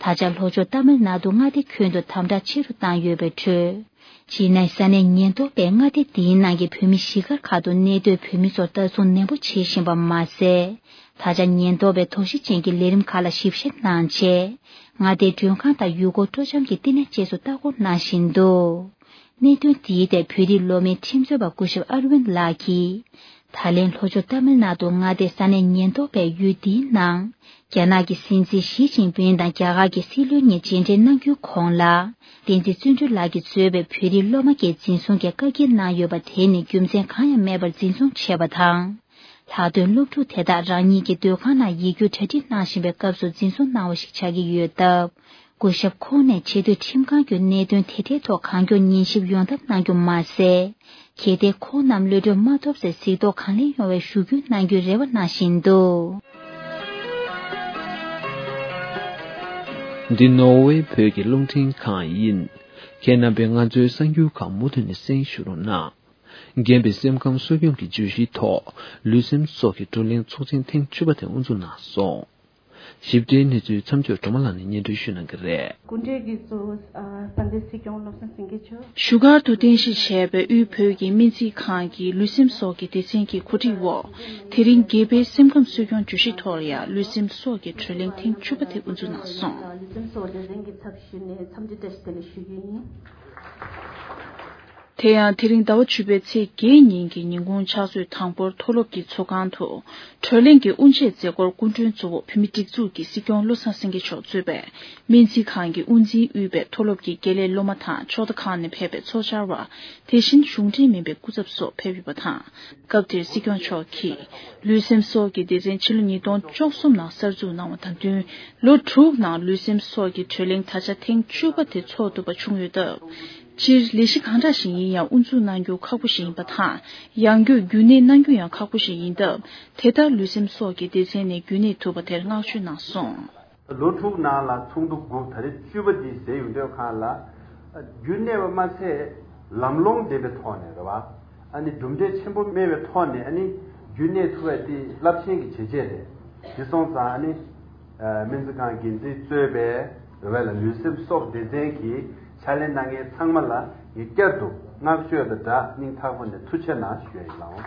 ད་ཆ་ལྷོ་ཕྱོགས་ཏཱ་མིལ་ནཱ་ཏུ་མངའ་སྡེ་ཁྱོན་དུ་དམ་དྲག་ཆེ་རུ་བཏང་ཡོད་པའི་ཁྲོད། ཇི་ནན་ས་གནས་ཉེན་རྟོག་པས་མངའ་སྡེ་འདིའི་ནང་གི་བོད་མི་གཞིས་སྒར་ཁག་ཏུ་གནས་སྡོད་བོད་མི་ཚོར་ལྟ་སྲུང་ནན་པོ་བྱེད་བཞིན་པ་མ་ཟད། ད་ཆ་ཉེན་རྟོག་པས་དོགས་གཞི་ཅན་གྱི་ལས་རིམ་ཁག་ལ་ཞིབ་བཤེར་གནང་རྗེས། མངའ་སྡེའི་མགྲོན་ཁང་དང་ཡུལ་སྐོར་སྤྲོ་འཆམ་གྱི་བསྟི་གནས་བཅས་སུ་ལྟ་སྐོར་གནང་བཞིན་འདུག་གནད་དོན་དེའི་ཐད་བོད་རིགས་སློབ་མའི་ཁྲིམས་རྩོད་པ་སྐུ་ཞབས་ཨར་ཝིན་ལགས་ཀྱིས། ད་ལན་ལྷོ་ཕྱོགས་ཏཱ་མིལ་ནཱ་ཏུ་མངའ་སྡེའི་ས་གནས་ཉེན་རྟོག་པས་ཡུལ་འདིའི་ནང་རྒྱ་ནག་གི་སྲིད་འཛིན་ཞི་ཅིན་ཕིང་དང་རྒྱ་གར་གྱི་སྲིད་བློན་གཉིས་མཇལ་འཕྲད་གནང་རྒྱུའི་གོང་ལ། བསྟན་འཛིན་བརྩོན་འགྲུས་ལགས་ཀྱིས་གཙོས་པའི་བོད་རིགས་སློབ་མ་བརྒྱད་འཛིན་བཟུང་གིས་བཀག་སྐྱིལ་གནང་ཡོད་པ་དེ་ནི་རྒྱུ་མཚན་གང་ཡང་མེད་པར་འཛིན་བཟུང་བྱས་པ་དང་། ལྷག་དོན་སློབ་ཕྲུག་དེ་དག་རང་ཉིད་ཀྱི་སྡོད་ཁང་ནང་ཡིག་རྒྱུགས་གྲ་སྒྲིག་གནང་བཞིན་པའི་སྐབས་སུ་འཛིན་བཟུང་གནང་བ་ཞིག་ཆགས་ཀྱི་ཡོད་སྟབས། སྐུ་ཞབས་ཁོང་ནས་ཆེས་མཐོའི་ཁྲིམས་ཁང་གི་གནད་དོན་དེ་འབྲེལ་ཐོག་གང་མགྱོགས་ཉན་ཞིབ་ཡོང་ཐབས་གནང་རྒྱུ་མ་ཟད། གལ་ཏེ་ཁོང་རྣམས་གློད་གྲོལ་མ་ཐོབ་ཚེ་གཟིགས་རྟོག་གང་ལེགས་ཡོང་བའི་ཞུ་སྐུལ་གནང་རྒྱུའི་རེ་བ་གནང་བཞིན་འདུག་འདི་ནོར་ཝེ་བོད་ཀྱི་རླུང་འཕྲིན་ཁང་ཡིན། ཁྱེད་རྣམ་པས་ང་ཚོའི་གསར་འགྱུར་ཁག་མུ་མཐུད་ནས་གསན་ཞུ་རོགས་གནང་། རྒན་པའི་སེམས་ཁམས་གསོ་སྐྱོང་གི་བརྗོད་གཞིའི་ཐོག་ལུས་སེམས་སྲོག་གི་བགྲོ་གླེང་ཚོགས་ཆེན་ཐེངས་བཅུ་པ་དེ་དབུ་འཛུགས་གནང་སོང་། ཞིབ་ཕྲའི་གནས་ཚུལ་མཚམས་སྦྱོར་སྒྲོལ་མ་ལགས་ནས་སྙན་སྒྲོན་ཞུ་གནང་གི་རེད། སྐུ་མགྲོན་གྱིས་གཙོ་བོ་ཨ་དཔལ་ལྡན་སྲིད་སྐྱོང་བློ་བཟང་སེང་གེ་མཆོག་བཞུགས་སྒར་དུ་རྟེན་གཞི་བྱས་པའི་དབུས་བོད་ཀྱི་སྨན་རྩིས་ཁང་གི་ལུས་སེམས་སྲོག་གི་སྡེ་ཚན་གྱི་གོ་སྒྲིག་འོག་དེ་རིང་རྒན་པའི་སེམས་ཁམས་གསོ་སྐྱོང་བརྗོད་གཞིའི་ཐོག་ལ་ཡང་ལུས་སེམས་སྲོག་གི་བགྲོ་གླེང་ཐེངས་བཅུ་པ་དེ་དབུ་འཛུགས་གནང་སོང་། ལུས་སེམས་སྲོག་སྡེ་ཚན་གྱི་ཚབ་ཞུས་ནས་འཚམས་འདྲི་བཀྲ་ཤིས་བདེ་ལེགས་ཞུ་རྒྱུ་ཡིན། དེ་ཡང་དེ་རིང་ཟླ་བ་བཅུ་པའི་ཚེས་བརྒྱད་ཉིན་གྱི་ཉིན་གུང་ཕྱག་ཚོད་དང་པོར་མཐོ་སློབ་ཀྱི་ཚོགས་ཁང་དུ་གྲོས་གླེང་གི་དབུ་འབྱེད་མཛད་སྒོར་སྐུ་མགྲོན་གཙོ་བོ་བོད་མིའི་སྒྲིག་འཛུགས་ཀྱི་སྲིད་སྐྱོང་བློ་བཟང་སེང་གེ་མཆོག་གཙོས་པའི་སྨན་རྩིས་ཁང་གི་དབུ་འཛིན་དབུས་པའི་མཐོ་སློབ་ཀྱི་དགེ་ལས་སློབ་མ་དང་ཕྱོགས་མཐའ་ཁག་ནས་ཕེབས་པའི་ཚོགས་བཅར་བ། དེ་བཞིན་གཞུང་འབྲེལ་མིན་པའི་སྐུ་ཚབ་སོགས་ཕེབས་ཡོད་པ་དང་། སྐབས་དེར་སྲིད་སྐྱོང་མཆོག་གིས་ལུས་སེམས་སྲོག་གི་སྡེ་ཚན་ཕྱི་ལོ་ཉིས་སྟོང་བཅུ་གསུམ་ནང་གསར་འཛུགས་གནང་བ་དང་བསྟུན། ལོ་དྲུག་ནང་ལུས་སེམས་སྲོག་གི་གྲོས་གླེང་ད་ཆ་ཐེངས་བཅུ་པ་དེ་འཚོགས་ཐུབ་པ་བྱུང་ཡོད་སྟབས། སྤྱིར་ལས་གཞི་གང་འདྲ་ཞིག་ཡིན་ཡང་དབུ་འཛུགས་གནང་རྒྱུ་ཁག་པོ་ཞིག་ཡིན་པ་དང་། ཡང་སྒོས་རྒྱུན་གནས་གནང་རྒྱུ་ཡང་ཁག་པོ་ཞིག་ཡིན་སྟབས། དེ་ལྟར་ལུས་སེམས་སྲོག་གི་སྡེ་ཚན་ནས་རྒྱུན་གནས་ཐུབ་པ་དེར་བསྔགས་བརྗོད་གནང་སོང་། ལོ་དྲུག་ནང་ལ་ཚོགས་འདུ་དགུ་ད་རེས་བཅུ་པ་འདི་ཟེར་ཡོང་དུས་སྒང་ལ། རྒྱུན་གནས་པ་མ་ཚད་ལམ་ལྷོང་ལྡན་པའི་ཐོག་ནས་རེད་བ། ཨ་ནི་གྲུབ་འབྲས་ཆེན་པོ་སྨིན་པའི་ཐོག་ནས་ཨ་ནི་རྒྱུན་གནས་ཐུབ་པ་དེ་རླབས་ཆེན་གྱི་བྱས་རྗེས་རེད། དེ་སོང་ཙང་ཨ་ནི། སྨན་རྩིས་ཁང་འགན་འཛིན་གཙོས་པའི་རེད་བ་ལ་ལུས་སེམས་སྲོག་སྡེ་ཚན་གྱི་ཕྱག་ལས་གནང་མཁན་ཚང་མ་ལ་ངས་བསྐྱར་དུ་བསྔགས་བརྗོད་དང་སྦྲགས་སྙིང་ཐག་པ་ནས་ཐུགས་རྗེ་གནང་ཞུ་ཡ་ཡིན་ལགས།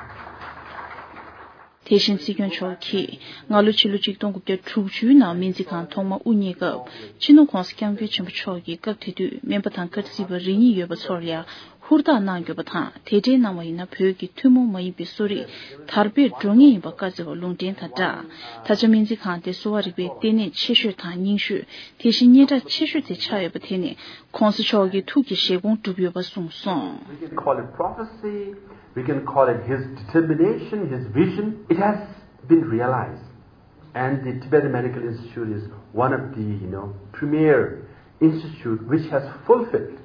དེ་བཞིན་སྲིད་སྐྱོང་མཆོག་གིས་སྔ་ལོ་ཕྱི་ལོ་ཆིག་སྟོང་དགུ་བརྒྱ་དྲུག་ཅུ་ནང་སྨན་རྩིས་ཁང་ཐོག་མ་དབུ་བརྙེས་སྐབས། སྤྱི་ནོར་༧གོང་ས་༧སྐྱབས་མགོན་ཆེན་པོ་མཆོག་གིས་སྐབས་དེ་དུས་སྨན་པ་དང་སྐར་རྩིས་པ་རེ་གཉིས་ཡོད་པ་ཚོར་ཡང་ཧུར་ཐག་གནང་ཡོད་པ་དང་། དེ་འདྲའི་གནང་བ་ཡིན་ན་བོད་ཀྱི་ཐུན་མོང་མ་ཡིན་པའི་གསོ་རིག་དར་སྤེལ་འགྲོ་ངེས་ཡིན་པ་བཀའ་སྩལ་བ་ལུང་འདྲེན་དང་སྦྲགས། ད་ཆ་སྨན་རྩིས་ཁང་དེ་གསོ་བ་རིག་པའི་ལྟེ་གནས་ཆེ་ཤོས་དང་རྙིང་ཤོས། དེ་བཞིན་སྙན་གྲགས་ཆེ་ཤོས་དེ་ཆགས་ཡོད་པ་དེ་ནི་༧གོང་ས་མཆོག་གི་ཐུགས་ཀྱི་བཞེད་དགོངས་གྲུབ་ཡོད་པ་གསུངས་སོང་། We can call it prophecy, we can call it his determination, his vision. It has been realized. And the Tibetan Medical Institute is one of the, you know, premier institute which has fulfilled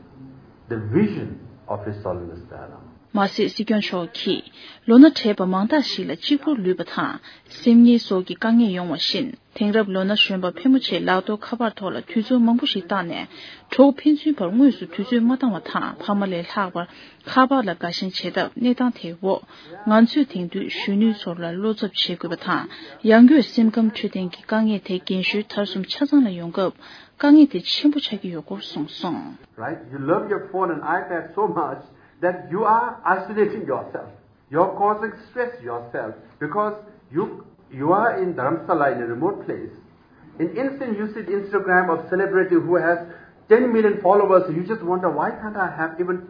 the vision of His Holiness Dalai Lama. མ་ཟད་སྲིད་སྐྱོང་མཆོག་གིས་ལོ་ན་བགྲེས་པ་མང་དག་ཞིག་ལ་གཅིག་པུར་ལུས་པ་དང་སེམས་ངལ་སོགས་ཀྱི་དཀའ་ངལ་ཡོང་བ་བཞིན། དེང་རབས་ལོ་ན་གཞོན་པ་ཕལ་མོ་ཆེས་ལག་ཐོགས་ཁ་པར་ཐོག་ལ་དུས་ཚོད་མང་པོ་ཞིག་བཏང་ནས་གྲོགས་ཕན་ཚུན་བར་དངོས་སུ་དུས་ཚོད་མ་བཏང་བ་དང་། ཕ་མ་ལས་ལྷག་པར། ཁ་པར་ལ་དགའ་ཞེན་བྱེད་སྟབས། གནས་སྟངས་དེའི་འོག་ང་ཚོས་དེང་དུས་གཞོན་ནུའི་ཚོར་ལ་བློ་འཚབ་བྱེད་དགོས་པ་དང་། ཡང་སྒོས་སེམས་ཁམས་འཕྲོད་བསྟེན་གྱི་དཀའ་ངལ་དེ་རྒན་གཞོན་མཐར་སོང་ཆ་ཚང་ལ་ཡོང་སྐབས་དཀའ་ངལ་དེ་ཆེན་པོ་ཆགས་ཀྱི་ཡོད་སྐོར་གསུངས་སོང་། Right? You love your phone and iPad so much that you are isolating yourself. You're causing stress yourself because you you are in Dharamsala, in a remote place. In instant, you see the Instagram of celebrity who has ten million followers. You just wonder, why can't I have even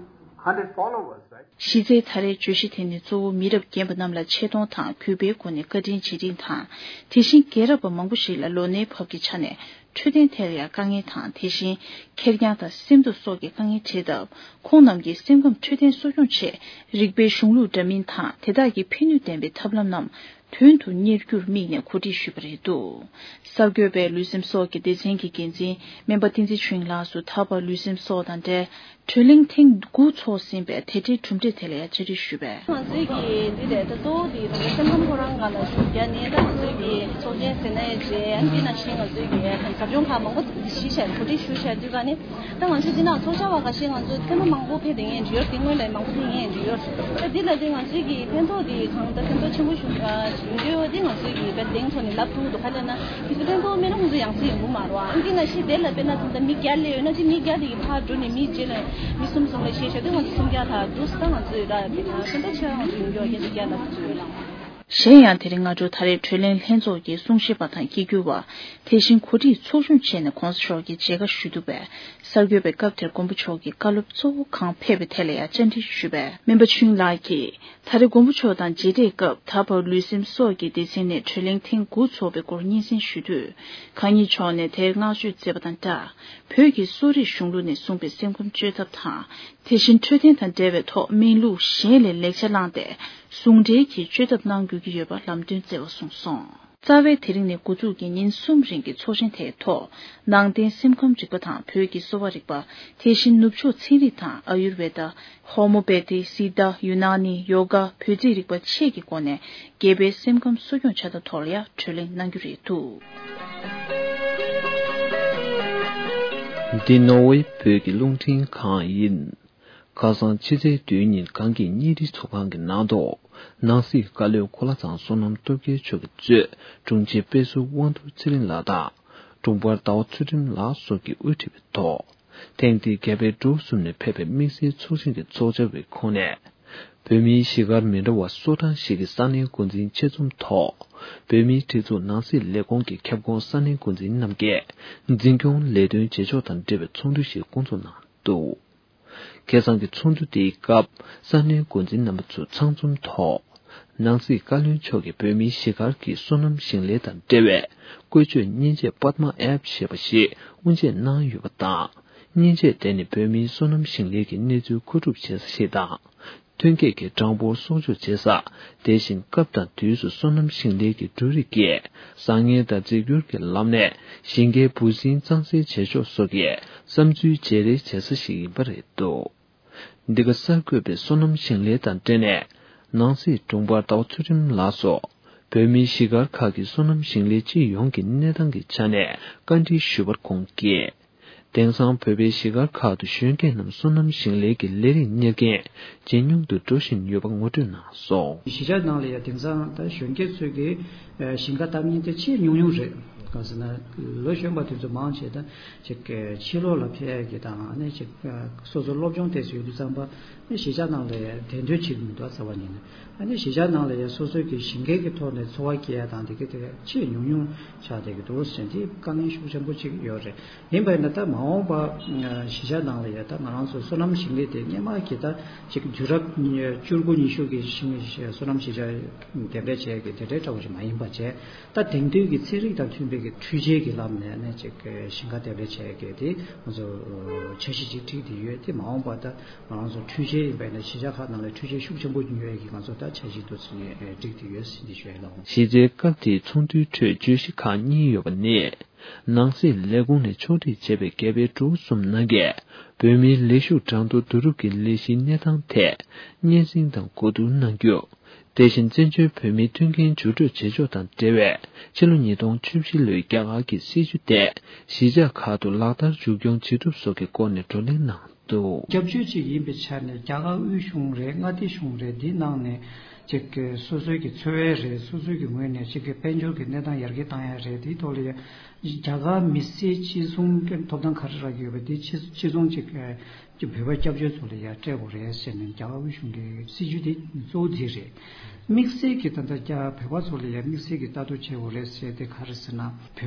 hundred followers, right? གཞི་རྩའི་ད་རེས་བརྗོད་གཞི་དེ་ནི་གཙོ་བོ་མི་རབས་རྒན་པ་རྣམས་ལ་ཆེ་མཐོང་དང་གུས་པའི་སྒོ་ནས་བཀའ་དྲིན་རྗེས་དྲན་དང་། དེ་བཞིན་རྒན་རབས་པ་མང་པོ་ཞིག་ལ་ལོ་ནའི་བབ་ཀྱི་ཆ་ནས་འཕྲོད་བསྟེན་ཐད་ལ་ཡང་དཀའ་ངལ་དང་། དེ་བཞིན་ཁེར་རྐྱང་དང་སེམས་སྡུག་སོགས་ཀྱི་དཀའ་ངལ་འཕྲད་སྟབས། ཁོང་རྣམས་ཀྱིས་སེམས་ཁམས་འཕྲོད་བསྟེན་གསོ་སྐྱོང་ཆེད་རིགས་པའི་གཞུང་ལུགས་འདྲ་མིན་དང་དེ་དག་གི་ཕན་ནུས་ལྡན་པའི་ཐབས་ལམ་རྣམས་དོན་དུ་གཉེར་རྒྱུར་དམིགས་ནས་གོ་སྒྲིག་ཞུས་པ་རེད་འདུག། གསར་འགོད་པས་ལུས་སེམས་སོགས་ཀྱི་སྡེ་ཚན་གྱི་འགན་འཛིན་སྨན་པ་བསྟན་འཛིན་ཆོས་དབྱིངས་ལགས་སུ་ད་བར་ལུས་སེམས་སོགས་དང་འབྲེལ་གྲོས་གླེང་ཐེངས་དགུ་ཚོགས་ཟིན་པའི་དེ་འབྲེལ་གྲུབ་འབྲས་དེ་ལ་ཡང་བཅར་འདྲི་ཞུས་པས། ང་ཚོའི་གི་འདི་ལས་ད་གཙོ་བོ་འདི་ད་སེམས་ཁམས་ཁོ་རང་སྒང་ལ་ཞུ་རྒྱ་ནི་ད་ང་ཚོའི་གི་ཚོགས་ཆེན་ཟེར་ན་ཡང་རེད། ཨ་ནི་འདི་ནང་བཞིན་ང་ཚོའི་གི་ཟབ་སྦྱོང་ཁག་མང་པོ་གཞི་བྱས་གོ་སྒྲིག་ཞུ་བྱས་དུས་ག་ནི། ད་ང་ཚོ་འདི་ནང་ཚོགས་བཅར་བ་ཁ་ཤས་ང་ཚོ་ཐེངས་མ་མང་པོ་ཕེབས་བསྡད་མཁན་ཅིག་ཡོད། དེ་སྔོན་ལ་མང་པོ་ཕེབས་མཁན་ཅིག་ཡོད། ད་འདི་ལ་དེ་ང་ཚོའི་གི་ཕན་ཐོགས་དེ་གང་ལྟར་ཕན་ཐོགས་ཆེན་པོ་ཞིག་ཡོང་གི་ཡོད། དེ་ང་ཚོའི་གི་དཔེ་གདེང་ཐོག་ནས་ལབ་ཐུབ་འདུག། ག་རེ་ལབ་ན་དེ་ཚོ་ཕན་ཐོགས་མེད་ན་ང་ཚོ་ཡང་སེ་ཡོང་གི་མ་རེད་བ། ཨ་འདི་ནང་བཞིན་དེ་ལ་དཔེར་ན་ད་ལྟ་མི་བརྒྱ་སླེབས་ཡོད་ན་ཅི་མི་བརྒྱ་དེ་གི་ཕར་འགྲོ་ནས་མི་རྗེས་ལ་མི་གསུམ་གསུམ་ལ་བཤད་བཤད་དུས་ང་ཚོ་སུམ་བརྒྱ་དང་འདུག་ད་ང་ཚོའི་ད་ཕན་ཐོགས་ཆེ་བ་ང་ཚོ་ཡོང་གི་ཡོད། བརྒྱ་ཆ་བརྒྱ་ལ་ང་ཚོ་ཡོད་ལ། གཞན་ཡང་དེ་རིང་སྔ་དྲོ་ད་རེས་གྲོས་གླེང་ལྷན་ཚོགས་ཀྱི་གསུང་བཤད་པ་དང་སྐྱིད་གྱུར་བ། དེ་བཞིན་གོ་སྒྲིག་ཚོགས་ཆུང་བྱས་ནས་གོང་ས་མཆོག་གི་མཇལ་ཁ་ཞུ་ཐུབ་པས། གསར་འགོད་པས་སྐབས་དེར་མགོན་པོ་མཆོག་གི་བཀའ་སློབ་གཙོ་བོ་གང་ཕེབས་པའི་ཐད་ལ་ཡང་བཅར་འདྲི་ཞུས་པས། སྨན་པ་ཆོས་དབྱིངས་ལགས་ཀྱིས། ད་རེས་མགོན་པོ་མཆོག་དང་མཇལ་འཕྲད་སྐབས་ད་བར་ལུས་སེམས་སོགས་ཀྱི་སྡེ་ཚན་ནས་གྲོས་གླེང་ཐེངས་དགུ་ཚོགས་པའི་སྐོར་སྙན་སེང་ཞུ་དུས། གང་ཉིད་མཆོག་ནས་དེར་བསྔགས་བརྗོད་མཛད་པ་དང་སྦྲགས། བོད་ཀྱི་གསོ་རིག་གཞུང་ལུགས་ནས་གསུངས་པའི་སེམས་ཁམས་བཅོས་ཐབས་དང་། དེ་བཞིན་འཕྲོད་བསྟེན་དང་འབྲེལ་བའི་ཐོག་སྨན་ལུགས་གཞན་ལས་ལེགས་ཆ་བླངས་ཏེ། ཟུང་འབྲེལ་གྱིས་བཅོས་ཐབས་གནང་དགོས་ཀྱི་ཡོད་པ་ལམ་སྟོན་སྩལ་བ་གསུངས་སོང་། རྩ་བའི་དེ་རིང་ནས་འགོ་འཛུགས་ཀྱི་ཉིན་གསུམ་རིང་གི་ཚོགས་ཆེན་དེའི་ཐོག་ནང་བསྟན་སེམས་ཁམས་རིག་པ་དང་བོད་ཀྱི་གསོ་བ་རིག་པ། དེ་བཞིན་ནུབ་ཕྱོགས་ཚན་རིག་དང་ཨ་ཡུར་ཝེ་ད། ཧོ་མོ་པེ་ཏི། སི་ཏཱ། ཡུ་ན་ནི། ཡོ་ག་བོད་རྩིས་རིག་པ་བཅས་ཀྱི་སྒོ་ནས་རྒྱལ་པོའི་སེམས་ཁམས་གསོ་སྐྱོང་བྱ་ཐབས་ཐོག་ལ་ཡང་གྲོས་གླེང་གནང་རྒྱུ་རེད་འདུག། འདི་ནོར་ཝེ་བོད་ཀྱི་རླུང་འཕྲིན་ཁང་ཡིན། ཁ་སང་ཕྱི་ཚེས་བདུན་ཉིན་གངས་སྐྱིད་བརྙན་འཕྲིན་ཚོགས་ཁང་གི་ནང་དུ། ནང་སྲིད་བཀའ་བློན་གོ་ལ་ཚང་བསོད་ནམས་སྟོབས་རྒྱལ་མཆོག་གིས་གཙོས་དྲུང་ཆེ་དཔེ་ཟུར་དབང་འདུས་ཚེ་རིང་ལགས་དང་། དྲུང་འཕར་ཟླ་བ་ཚུལ་ཁྲིམས་ལགས་སོགས་ཀྱིས་དབུ་ཁྲིད་པའི་ཐོག་ཐེངས་འདིའི་རྒྱ་བལ་འབྲུག་གསུམ་ནས་ཕེབས་པའི་དམིགས་བསལ་ཚོགས་ཆེན་གྱི་ཚོགས་བཅར་བའི་ཁོངས་ནས། བོད་མིའི་གཞིས་སྒར་མི་འདྲ་བ་སོ་གྲངས་ཤིག་གི་ས་གནས་འགོ་འཛིན་ཆེད་འཛོམས་ཐོག་བོད་མིའི་སྒྲིག་འཛུགས་ནང་སྲིད་ལས་ཁུངས་ཀྱི་ཁྱབ་ཁོངས་ས་གནས་འགོ་འཛིན་རྣམས་ཀྱིས་འཛིན་སྐྱོང་ལས་དོན་བྱེད་ཕྱོགས་དང་འབྲེལ་བའི་ཚོགས་འདུ་ཞིག་བསྐོང་ཚོགས་གནང་འདུག། ཁ་སང་གི་ཚོགས་འདུ་དེའི་སྐབས་ས་གནས་འགོ་འཛིན་རྣམ་པ་ཚོ་ཚང་འཛོམས་ཐོག་ནང་སྲིད་བཀའ་བློན་མཆོག་གིས་བོད་མིའི་གཞིས་སྒར་གྱི་སོ་ནམ་ཞིང་ལས་དང་འབྲེལ་བའི་བཀོལ་སྤྱོད་མཉེན་ཆས་པདྨ་ཨེབ་ཞེས་པ་ཞིག་དབུ་འབྱེད་གནང་ཡོད་པ་དང་། མཉེན་ཆས་དེ་ནི་བོད་མིའི་སོ་ནམ་ཞིང་ལས་ཀྱི་གནས་ཚུལ་མཁོ་སྒྲུབ་བྱེད་ས་ཞིག་དང་། ཐོན་སྐྱེད་ཀྱི་གྲངས་འབོར་གསོག་འཇོག་བྱེད་ས། དེ་བཞིན་སྐབས་དང་དུས་སུ་སོ་ནམ་ཞིང་ལས་ཀྱི་འབྲུ་རིགས་ཀྱི་བཟང་ངན་དང་རྫས་འགྱུར་གྱི་ལམ་ནས་ཞིང་ཁའི་འབུ་སྲིན་གཙང་སེལ་བྱེད་ཕྱོགས་སོགས་ཀྱི་བསམ་ཚུལ་བརྗེ་རེས་བྱེད་ས་ཞིག་ཡིན་པ་རེད་འདུག། འདི་ག་གསར་འགོད་པས་སོ་ནམ་ཞིང་ལས་དང་འབྲེལ་ནས་ནང་སྲིད་དྲུང་འཕར་ཟླ་བ་ཚུལ་ཁྲིམས་ལགས་སུ་བོད་མིའི་གཞིས་སྒར་ཁག་གི་སོ་ནམ་ཞིང་ལས་སྤྱི་ཡོངས་ཀྱི་གནས་སྟངས་ཀྱི་ཆ་ནས་བཀའ་འདྲི་ཞུས་པར་ཁོང་གིས། དེང་སང་བོད་པའི་གཞིས་སྒར་ཁག་ཏུ་གཞོན་སྐྱེས་རྣམས་སོ་ནམ་ཞིང་ལས་ཀྱི་ལས་རིགས་གཉེར་མཁན་ཇེ་ཉུང་དུ་འགྲོ་བཞིན་ཡོད་པ་ངོ་སྤྲོད་གནང་སོང་། གཞིས་ཆགས་ནང་ལ་ཡང་དེང་སང་ད་གཞོན་སྐྱེས་ཚོས་ཀྱི་ཞིང་ཁ་བཏབ་མཁན་དེ་ཆེས་ཉུང་ཉུང་རེད། གང་ཟེར་ན་ལོ་གཞོན་པ་དེ་ཚོ་མང་ཆེ་ད་ཅིག་ཕྱི་ལོགས་ལ་ཕེབས་ཀྱི་དང་ཨ་ནི་ཅིག་སོ་སོ་སློབ་སྦྱོང་ཏོག་ཙམ་ཡོད་དུས་ཙམ་པ་ཨ་ནི་གཞིས་ཆགས་ནང་ལ་ཡང་གདན་དོན་བྱེད་ཀྱི་མི་འདུག་རྩ་བ་ཉིད་ནས། ཨ་ནི་གཞིས་ཆགས་ནང་ལ་ཡང་སོ་སོའི་གི་ཞིང་ཁའི་གི་ཐོག་ནས་འཚོ་བ་སྐྱེལ་ཡ་དང་དེ་གི་དེ་ཆེས་ཉུང་ཉུང་ཆགས་བསྡད་ཀྱི་འདུག་ཟེར་དེ་དཀའ་ངལ་ཤུགས་ཆེན་པོ་ཅིག་ཡོད་རེད། ཡིན་པས་ན་ད་མ་འོངས་པ་གཞིས་ཆགས་ནང་ལ་ཡང་ད་ང་རང་ཚོ་སོ་ནམ་ཞིང་ལས་དེ་སྔོན་མ་གི་ད་ཅིག་དུས་རབས་བཅུ་དགུ་ཉི་ཤུ་གི་ཞིང་སོ་ནམ་གཞིས་ཆགས་གདན་འདྲེན་བྱས་ཀྱི་དེ་འདྲའི་འདྲ་བོ་ཞིག་མ་ཡིན་པ་བྱས། ད་དེང་དུས་ཀྱི་ཚན་རིག་དང་མཐུན་པའི་གི་འཕྲུལ་ཆས་ཀྱི་ལམ་ནས་ནས་ཅིག་ཞིང་ཁ་གདན་འདྲེན་བྱས་ཀྱི་དེ་ང་ཚོ་འཆར་གཞི་ཅིག་བསྒྲིགས་ཏེ་ཡོད་དེ། མ་འོངས་པ་ད་ང་རང་ཚོ་འཕྲུལ་ཆས་ཡིན་པས་ན་གཞིས་ཆགས་ཁག་ནང་ལ་འཕྲུལ་ཆས་ཤུགས་ཆེན་པོ་ཉོ་ཡས་ཀྱི་ང་ཚོ་ད་འཆར་གཞི་འདུག་ཟེར་ནས་བསྒྲིགས་ཏེ་ཡོད་ཟེར་ནས་ཞུ་ཡས་ལ། གཞི་རྩའི་སྐབས་དེའི་ཚོགས་འདུའི་ཁྲོད་བརྗོད་གཞི་ཁག་གཉིས་ཡོད་པ་ནི། ནང་སྲིད་ལས་ཁུངས་ནས་ཕྱོགས་སྒྲིག་བྱས་པའི་རྒྱ་བལ་འབྲུག་གསུམ་ནང་གི་བོད་མིའི་ལས་ཞུགས་གྲངས་ཐོ་བསྡུ་རུབ་ཀྱི་ལས་གཞིའི་གནས་སྟངས་ཐད་སྙན་སེང་དང་གོ་བསྡུར་གནང་རྒྱུ། དེ་བཞིན་བཙན་བྱོལ་བོད་མིའི་མཐུན་རྐྱེན་འགྱུར་སྤྲོད་བྱེད་ཕྱོགས་དང་འབྲེལ་བའི་ཕྱི་ལོ་ཉིས་སྟོང་བཅུ་བཞི་ལོའི་རྒྱ་གར་གྱི་སྲིད་བྱུས་དེ་གཞིས་ཆགས་ཁག་ཏུ་ལག་བསྟར་མཇུག་སྐྱོང་བྱེད་ཐབས་སོགས་ཀྱི་སྐོར་ནས་བགྲོ་གླེང་གནང་འདུག། སྐྱབས་བཅོལ་ཅིག་ཡིན་པའི་ཆ་ནས་རྒྱ་གར་དབུས་གཞུང་རེད། མངའ་སྡེ་གཞུང་རེད། འདི་ནང་ནས་ཅིག་གི་སོ་སོའི་གི་འཚོ་བའི་རེད། སོ་སོའི་གི་ངོས་ནས་ཅིག་གི་དཔལ་འབྱོར་གི་གནས་སྟངས་ཡར་རྒྱས་བཏང་ཡ་རེད། དེའི་ཐོག་ལ་ཡ་རྒྱ་གར་མི་སེར་གཅིག་མཚུངས་ཀྱི་ཐོབ་ཐང་ག་རེ་རག་གི་ཡོད་པ་དེ་གཅིག་གཅིག་མཚུངས་ཅིག་གི་ བོད་པ་སྐྱབས་བཅོལ་ཚོ་ལ་ཡ་སྤྲད་དགོས་རེད་ཟེར་ནས་རྒྱ་གར་དབུས་གཞུང་གི་སྲིད་ཇུས་དེ་གཙོ་བོ་དེ་རེད། དམིགས་བསལ་གྱི་ད་ལྟ་རྒྱ་བོད་པ་ཚོ་ལ་ཡ་དམིགས་བསལ་གྱི་ལྟ་རྟོག་བྱེད་དགོས་རེད་ཟེར་དེ་ག་རེ་ཟེར་ན།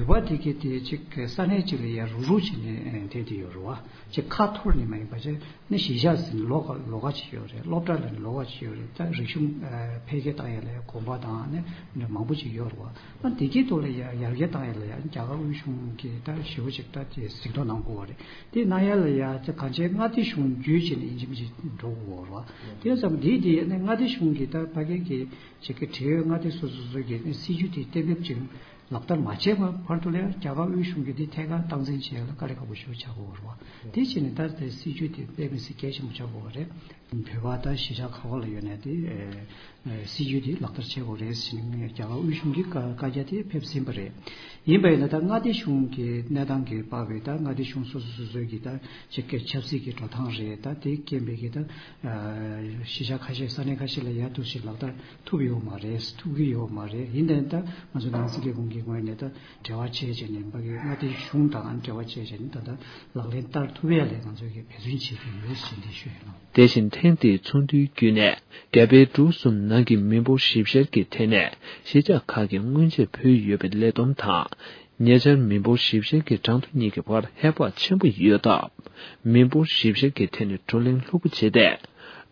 བོད་པ་དེ་གའི་དེ་གཅིག་ས་གནས་གཅིག་ལ་ཡ་རུག་རུག་བྱས་ནས་བསྡད་དེ་ཡོད་རེད་བ། གཅིག་ཁ་འཐོར་ནས་མ་ཡིན་པ་བྱས་ནས་གཞིས་ཆགས་ཟིན་ལོགས་ཀ་ལོགས་ཀ་བྱས་ཡོད་རེད། སློབ་གྲྭ་ལ་ནི་ལོགས་ཀ་བྱས་ཡོད་རེད། ད་རིག་གཞུང་འཕེལ་རྒྱས་བཏང་ཡ་ལ་ཡ་གོམ་པ་དང་ནི་མང་པོ་ཅིག་ཡོད་རེད་བ། ཨ་དེ་གའི་ཐོག་ལ་ཡ་ཡར་རྒྱས་བཏང་ཡ་ལ་ཡ་རྒྱ་གར་དབུས་གཞུང་གིས་ད་ཞེ་པོ་ཅིག་ད་དེ་གཟིགས་རྟོག་གནང་དགོས་པ་རེད། དེ་གནང་ཡ་ལ་ཡ་ད་གང་ཅི་མངའ་སྡེ་གཞུང་བརྒྱུད་བྱས་ནས་ཡིན་གཅིག་མིན་གཅིག་འགྲོ་དགོས་པ་རེད་བ། དེ་ཙམ་དེ་དེ་ནི་མངའ་སྡེ་གཞུང་གིས་ད་ཕ་གི་གི་ཅིག་གི་འབྲེལ་ཡོད་མངའ་སྡེ་སོ་སོ་སོ་གིས་ནི་སྲིད་ཇུས་དེ་གཏན་འབེབས་ཅིག་ལག་བསྟར་མ་བྱས་པ་བར་དུ་ལ་ཡང་རྒྱ་གར་དབུས་གཞུང་གིས་དེ་ཐད་ཀར་སྟངས་འཛིན་བྱེད་ཡ་ལ་དཀའ་ལས་ཁག་པོ་ཞེ་པོ་ཆགས་ཀྱི་ཡོད་རེད་བ། དེ་བྱས་ནས་ད་དེ་སྲིད་ཇུས་དེ་དཔེ་མི་སྲིད་གལ་ཆེན་པོ་ཆགས་ཀྱི་ཡོད་རེད། བོད་པ་ད་གཞིས་ཆགས་ག་པ་ལ་ཡོད་ནའི་དེ་ཨེ་སྲིད་ཇུས་དེ་ལག་བསྟར་བྱེད་དགོས་རེད་ཟེར་ནས་རྒྱ་གར་དབུས་གཞུང་གི་བཀའ་བཀའ་རྒྱ་དེ་ཕེབས་ཟིན་པ་རེད། ཡིན་པ་ཡིན་ན་ད་མངའ་སྡེ་གཞུང་གི་གནས་སྟངས་ཀྱི་དཔག་པའི་ད་མངའ་སྡེ་གཞུང་སོ་སོ་སོ་སོའི་གི་ད་ཅིག་གི་ཆབ་སྲིད་ཀྱི་འགྲོ་སྟངས་རེད། ད་དེ་རྐྱེན་པས་ཀྱི་ད་ཨ་གཞིས་ཆགས་ཁ་ཤས་ས་གནས་ཁ་ཤས་ལ་ཡ་འདུག་སེ་ལག་བསྟར་ཐུབ་ཡོད་མ་རེད། ཐུབ་ཀྱི་ཡོད་མ་རེད། ཡིན་ནའི་ད་ང་ཚོ་ནང་སྲིད་ལས་ཁུངས་ཀྱི་ངོས་ནས་ད་འབྲེལ་བ་བྱས་བྱས་ནས་ཕ་གི་མངའ་སྡེ་གཞུང་དང་འབྲེལ་བ་བྱས་བྱས་ནས་ད་ལྟ་ལག་ལེན་བསྟར་ཐུབ་ཡ་ལ་ང་ཚོ་གིས་འབད་བརྩོན་བྱེད་ཀྱི་ཡོད་ཟེར་འདི་ཞུ་ཡ་ཡིན། དེ་བཞིན་ཐེངས་འདིའི་ཚོགས་འདུའི་བརྒྱུད་ནས་རྒྱ་བལ་འབྲུག་གསུམ་ནང་གི་མི་འབོར་ཞིབ་བཤེར་གྱི་ཐད་ནས་གཞིས་ཆགས་ཁག་གིས་སྔོན་ཆད་ཕུལ་ཡོད་པའི་ལས་བསྡོམས་དང་། ཉེ་ཆར་མི་འབོར་ཞིབ་བཤེར་གྱི་གྲངས་ཐོ་གཉིས་ཀྱི་བར་ཧེ་བག་ཆེན་པོ་ཡོད་སྟབས། མི་འབོར་ཞིབ་བཤེར་གྱི་ཐད་ནས་བགྲོ་གླེང་ལྷུག་པོ་བྱས་ཏེ།